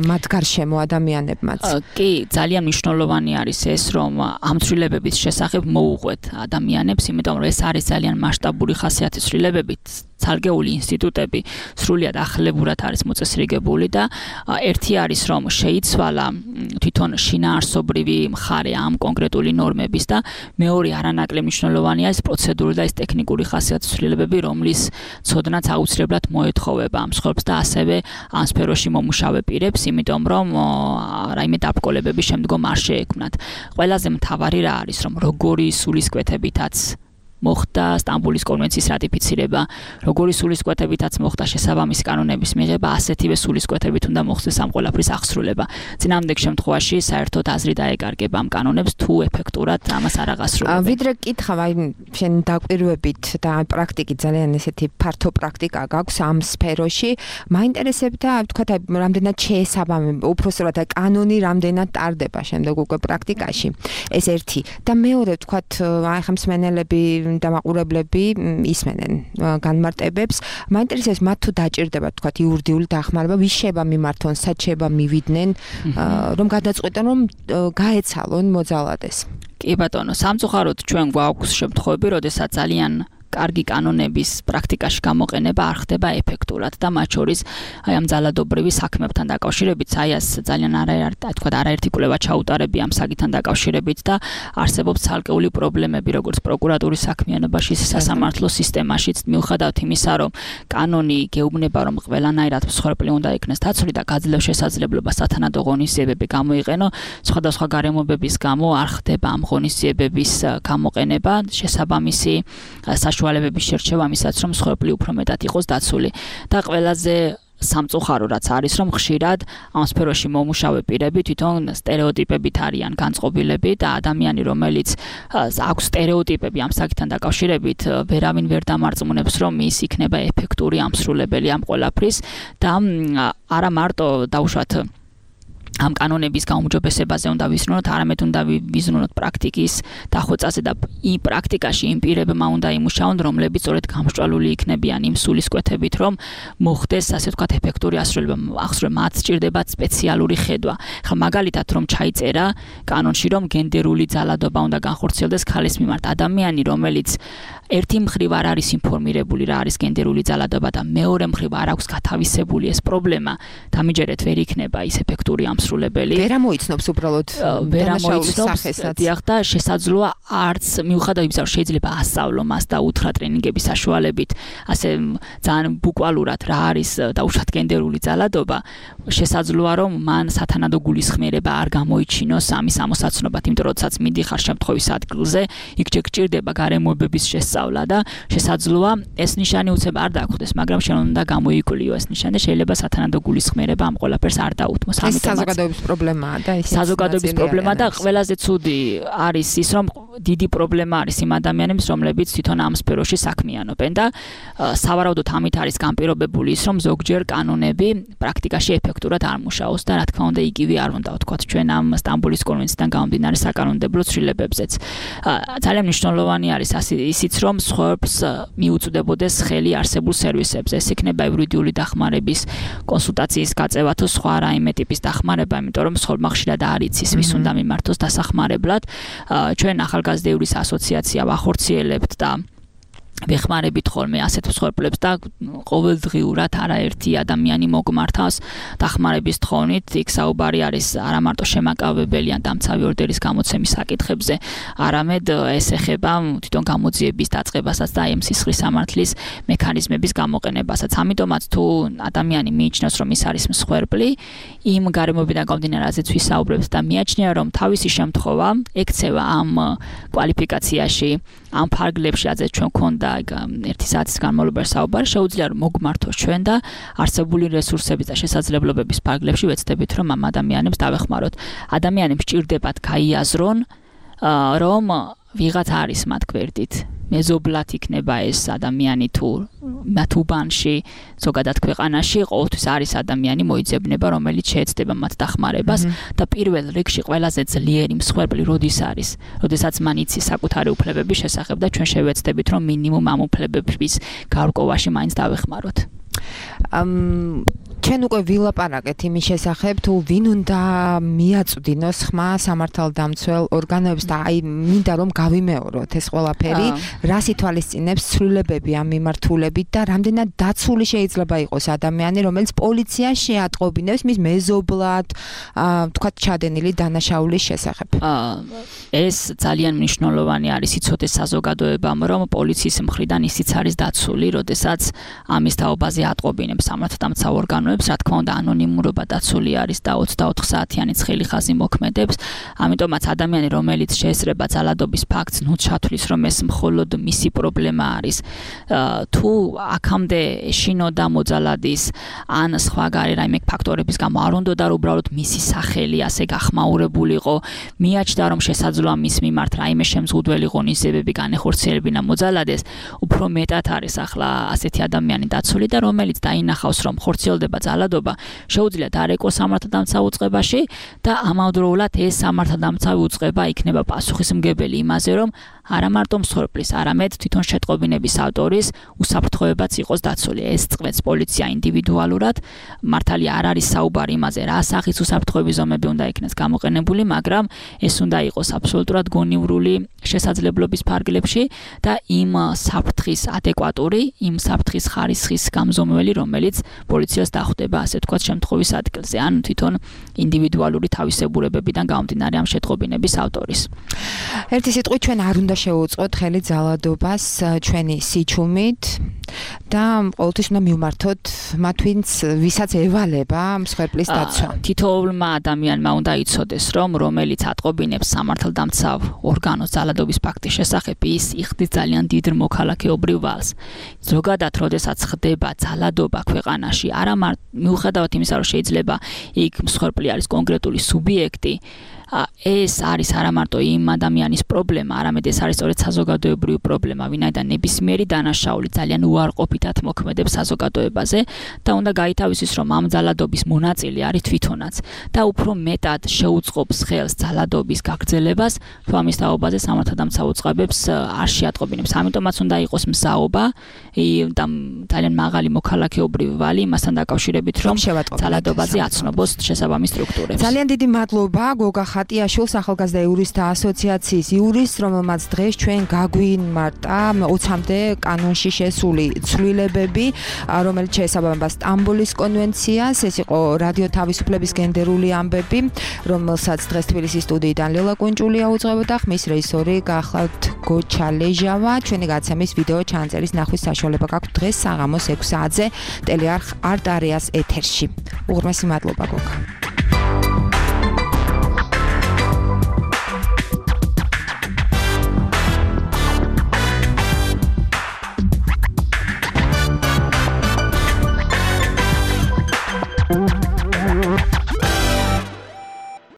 მათ გარშემო ადამიანებმაც. კი, ძალიან მნიშვნელოვანი არის ეს, რომ ამ ცვლილებების შესახებ მოუყვეთ ადამიანებს, იმიტომ რომ ეს არის ძალიან მასშტაბური ხასიათის ცვლილებები, ცალკეული ინსტიტუტები სრულიად ახლებურად არის მოწესრიგებული და ერთი არის რომ შეიცვალა თვითონ შინაარსობრივი მხარე ამ კონკრეტული ნორმების და მეორე არანაკლებ მნიშვნელოვანია ეს პროცედურული და ეს ტექნიკური ხასიათის ცვლილებები, რომლის ცოდნაც აუცილებლად მოეთხოვება ამ მსხვერპლს და ასევე ამ სფეროში მომუშავე პირებს, იმიტომ რომ რაიმე დაბრკოლებები შემდგომ არ შეექმნათ. ყველაზე მთავარი რა არის რომ როგორი სულისკვეთებითაც მოხდა სტამბოლის კონვენციის რატიფიცირება, როგორი სულისკვეთებითაც მოხდა შესაბამისი კანონების მიღება, ასეთივე სულისკვეთებით უნდა მოხდეს ამ ყველაფრის აღსრულება. წინამორბედ შემთხვევაში საერთოდ აზრი დაეკარგება ამ კანონებს თუ ეფექტურად ამას არ აღასრულებენ. ვიდრე კითხავ, აი შენ დაკვირვებით და პრაქტიკით ძალიან ესეთი ფართო პრაქტიკა გაქვს ამ სფეროში, მაინტერესებდა ვთქვათ, აი რამდენად შეესაბამება, უпроსტად აი კანონი რამდენად ტარდება შემდეგ უკვე პრაქტიკაში. ეს ერთი და მეორე ვთქვათ, აი ხა მსმენელები და მაყურებლები ისმენენ განმარტებებს. მაინტერესებს მათ თუ დაჭირდება თქვათ იურიდიული დახმარება, ვის შეება მიმართონ, სად შეება მივიდნენ, რომ გადაწყვეტონ რომ გაეცალონ მოძალადეს. კი ბატონო, სამწუხაროდ ჩვენ გვაქვს შემთხვევები, როდესაც ძალიან კარგი კანონების პრაქტიკაში გამოყენება არ ხდება ეფექტურად და მათ შორის აი ამ ძალადობრივი საქმებთან დაკავშირებით საიას ძალიან არაერთი კვლევა ჩაუტარებია ამ საკითხთან დაკავშირებით და არსებობს ცალკეული პრობლემები როგორც პროკურატურის საქმიანობაში, სასამართლო სისტემაშიც, მიუხედავად იმისა, რომ კანონი გეუბნება, რომ ყველანაირად მსხვერპლი უნდა იქნეს დაცული და გაძლევს შესაძლებლობას სათანადო ღონისძიებები გამოიყენო, სხვადასხვა გარემოებების გამო არ ხდება ამ ღონისძიებების გამოყენება, შესაბამისი საშუალებების შერჩევა ამისაც, რომ მსხვერპლი უფრო მეტად იყოს დაცული. და ყველაზე სამწუხარო რაც არის, რომ ხშირად ამ სფეროში მომუშავე პირები თვითონ სტერეოტიპებით არიან განწყობილები და ადამიანი, რომელიც აქვს სტერეოტიპები ამ საკითხთან დაკავშირებით, ვერავინ ვერ დამარწმუნებს, რომ ის იქნება ეფექტური ამსრულებელი ამ ყველაფრის და არა მარტო დაუშვათ ამ კანონების გაუმჯობესებაზე უნდა ვიზრუნოთ, არამედ უნდა ვიზრუნოთ პრაქტიკის დახვეწაზე და იმ პრაქტიკაში იმ პირებმა უნდა იმუშაონ, რომლებიც სწორედ გამსჭვალული იქნებიან იმ სულისკვეთებით, რომ მოხდეს, ასე ვთქვათ, ეფექტური ასრულება. მათ სჭირდებათ სპეციალური ხედვა. ხა მაგალითად, რომ ჩაიწერა კანონში, რომ გენდერული ძალადობა უნდა განხორციელდეს ქალის მიმართ. ადამიანი, რომელიც ერთი მხრივ არ არის ინფორმირებული რა არის გენდერული ძალადობა და მეორე მხრივ არ აქვს გათავისებული ეს პრობლემა, დამიჯერეთ ვერ იქნება ის ეფექტური დასრულებელი. ვერ ამოიცნობს უბრალოდ დანაშაულის სახესაც. დიახ და შესაძლოა არც მიუხედავად იმისა, რომ შეიძლება ასწავლო მას და უთხრა ტრენინგების საშუალებით, ასე ძალიან ბუკვალურად რა არის დაუშვათ გენდერული ძალადობა, შესაძლოა რომ მან სათანადო გულისხმიერება არ გამოიჩინოს ამის ამოსაცნობად, იმიტომ რომ როდესაც მიდიხარ შემთხვევის ადგილზე, იქ გჭირდება გარემოებების შესწავლა და შესაძლოა ეს ნიშანი უცებ არ დაგვხდეს, მაგრამ შენ უნდა გამოიკვლიო ეს ნიშანი და შეიძლება სათანადო გულისხმიერება ამ ყველაფერს არ დაუთმოს. ამიტომაც საზოგადოების პრობლემაა და ეს საზოგადოების პრობლემა და ყველაზე ცუდი არის ის, რომ დიდი პრობლემა არის იმ ადამიანებს, რომლებიც თვითონ ამ სფეროში საქმიანობენ და სავარაუდოდ ამით არის განპირობებული ის, რომ ზოგჯერ კანონები პრაქტიკაში ეფექტურად არ მუშაობს და რა თქმა უნდა იგივე არ უნდა ვთქვათ ჩვენ ამ სტამბოლის კონვენციიდან გამომდინარე საკანონმდებლო ცვლილებებზეც. ძალიან მნიშვნელოვანი არის ისიც, რომ სხვებს მიუწვდებოდეს ხელი არსებულ სერვისებზე. ეს იქნება იურიდიული დახმარების კონსულტაციის გაწევა თუ სხვა რაიმე ტიპის დახმარება, იმიტომ რომ სხვებმა ხშირად არ იცის ვის უნდა მიმართოს დასახმარებლად. ჩვენ ახალგაზრდების ასოციაცია ვახორციელებთ და ვეხმარებით ხოლმე ასეთ მსხვერპლებს და ყოველდღიურად არაერთი ადამიანი მოგმართავს დახმარების თხოვნით. იქ საუბარი არის არა მარტო შემაკავებელი ან დამცავი ორდერის გამოცემის საკითხებზე, არამედ ეს ეხება თვითონ გამოძიების დაწყებასაც და ამ სისხლის სამართლის მექანიზმების გამოყენებასაც. ამიტომაც თუ ადამიანი მიიჩნევს, რომ ის არის მსხვერპლი, იმ გარემოებიდან გამომდინარე, რაზეც ვისაუბრებთ და მიაჩნია, რომ თავისი შემთხვევა ექცევა ამ კვალიფიკაციაში, ამ ფარგლებში, რაზეც ჩვენ გვქონდა ერთი საათის განმავლობაში საუბარი, შეუძლია რომ მოგმართოს ჩვენ და არსებული რესურსების და შესაძლებლობების ფარგლებში ვეცდებით, რომ ამ ადამიანებს დავეხმაროთ. ადამიანებს ჭირდებათ გაიაზრონ, რომ ვიღაც არის მათ გვერდით. მეზობლად იქნება ეს ადამიანი თუ მათ უბანში, ზოგადად ქვეყანაში, ყოველთვის არის ადამიანი მოიძებნება, რომელიც შეეცდება მათ დახმარებას და პირველ რიგში ყველაზე ძლიერი მსხვერპლი როდის არის, როდესაც მან იცის საკუთარი უფლებების შესახებ და ჩვენ შევეცდებით, რომ მინიმუმ ამ უფლებების გარკვევაში მაინც დავეხმაროთ. ჩვენ უკვე ვილაპარაკეთ იმის შესახებ, თუ ვინ უნდა მიაწვდინოს ხმა სამართალდამცველ ორგანოებს და აი მინდა რომ გავიმეოროთ ეს ყველაფერი, რას ითვალისწინებს ცვლილებები ამ მიმართულებით და რამდენად დაცული შეიძლება იყოს ადამიანი, რომელიც პოლიციას შეატყობინებს მის მეზობლად, თქვათ ჩადენილი დანაშაულის შესახებ. ეს ძალიან მნიშვნელოვანი არის იცოდეს საზოგადოებამ, რომ პოლიციის მხრიდან ისიც არის დაცული, როდესაც ამის თაობაზე ატყობინებს სამართალდამცავ ორგანოებს. რა თქმა უნდა ანონიმურობა დაცული არის და 24 საათიანი ცხელი ხაზი მოქმედებს. ამიტომაც ადამიანი, რომელიც შეესწრება ძალადობის ფაქტს, ნუ ჩათვლის, რომ ეს მხოლოდ მისი პრობლემა არის. თუ აქამდე შინოდა მოძალადის ან სხვა რაიმე ფაქტორების გამო არ უნდოდა რომ უბრალოდ მისი სახელი ასე გახმაურებულიყო, მიაჩნდა რომ შესაძლოა მის მიმართ რაიმე შემზღუდველი ღონისძიებები განეხორციელებინა მოძალადეს, უფრო მეტად არის ახლა ასეთი ადამიანი დაცული და რომელიც დაინახავს რომ ხორციელდება ძალადობა, შეუძლია დარეკოს სამართალდამცავ უწყებაში და ამავდროულად ეს სამართალდამცავი უწყება იქნება პასუხისმგებელი იმაზე, რომ არა მარტო მსხვერპლის, არამედ თვითონ შეტყობინების ავტორის უსაფრთხოებაც იყოს დაცული. ეს წყვეტს პოლიცია ინდივიდუალურად, მართალია არ არის საუბარი იმაზე, რა სახის უსაფრთხოების ზომები უნდა იქნეს გამოყენებული, მაგრამ ეს უნდა იყოს აბსოლუტურად გონივრული შესაძლებლობის ფარგლებში და იმ საფრთხის ადეკვატური, იმ საფრთხის ხარისხის გამზომველი, რომელიც პოლიციას დახვდება, ასე თქვათ, შემთხვევის ადგილზე, ან თვითონ ინდივიდუალური თავისებურებებიდან გამომდინარე ამ შეტყობინების ავტორის. ერთი სიტყვით ჩვენ არ უნდა შევუწყოთ ხელი ძალადობას ჩვენი სიჩუმით და ყოველთვის უნდა მივმართოთ მათ, ვისაც ევალება მსხვერპლის დაცვა. თითოეულმა ადამიანმა უნდა იცოდეს, რომ რომელიც ატყობინებს სამართალდამცავ ორგანოს ძალადობის ფაქტის შესახებ, ის იხდის ძალიან დიდ მოქალაქეობრივ ვალს. ზოგადად, როდესაც ხდება ძალადობა ქვეყანაში, არა მარტო მიუხედავად იმისა, რომ შეიძლება იქ მსხვერპლი არის კონკრეტული სუბიექტი, ეს არის არა მარტო იმ ადამიანის პრობლემა, არამედ ეს არის სწორედ საზოგადოებრივი პრობლემა, ვინაიდან ნებისმიერი დანაშაული ძალიან უარყოფითად მოქმედებს საზოგადოებაზე და უნდა გაითავისოს, რომ ამ ძალადობის მონაწილე არის თვითონაც და უფრო მეტად შეუწყობს ხელს ძალადობის გაგრძელებას, თუ ამის თაობაზე სამართალდამცავ უწყებებს არ შეატყობინებს. ამიტომაც უნდა იყოს მზაობა და ძალიან მაღალი მოქალაქეობრივი ვალი იმასთან დაკავშირებით, დაკავშირებით, რომ ძალადობაზე აცნობოს შესაბამის სტრუქტურებს. ძალიან დიდი მადლობა გოგა ხატიაშვილს, ახალგაზრდა იურისტთა ასოციაციის იურისტს, რომელმაც დღეს ჩვენ გაგვიმართა 20-მდე კანონში შესული ცვლილებები, რომელიც შეესაბამება სტამბოლის კონვენციას. ეს იყო რადიო თავისუფლების გენდერული ამბები, რომელსაც დღეს თბილისის სტუდიიდან ლელა კუნჭულია უძღვებოდა, ხმის რეჟისორი გახლავთ გოჩა ლეჟავა. ჩვენი გადაცემის ვიდეო ჩანაწერის ნახვის საშუალება გაქვთ დღეს საღამოს 6 საათზე ტელეარხ არტ არეას ეთერში. უღრმესი მადლობა გოგა.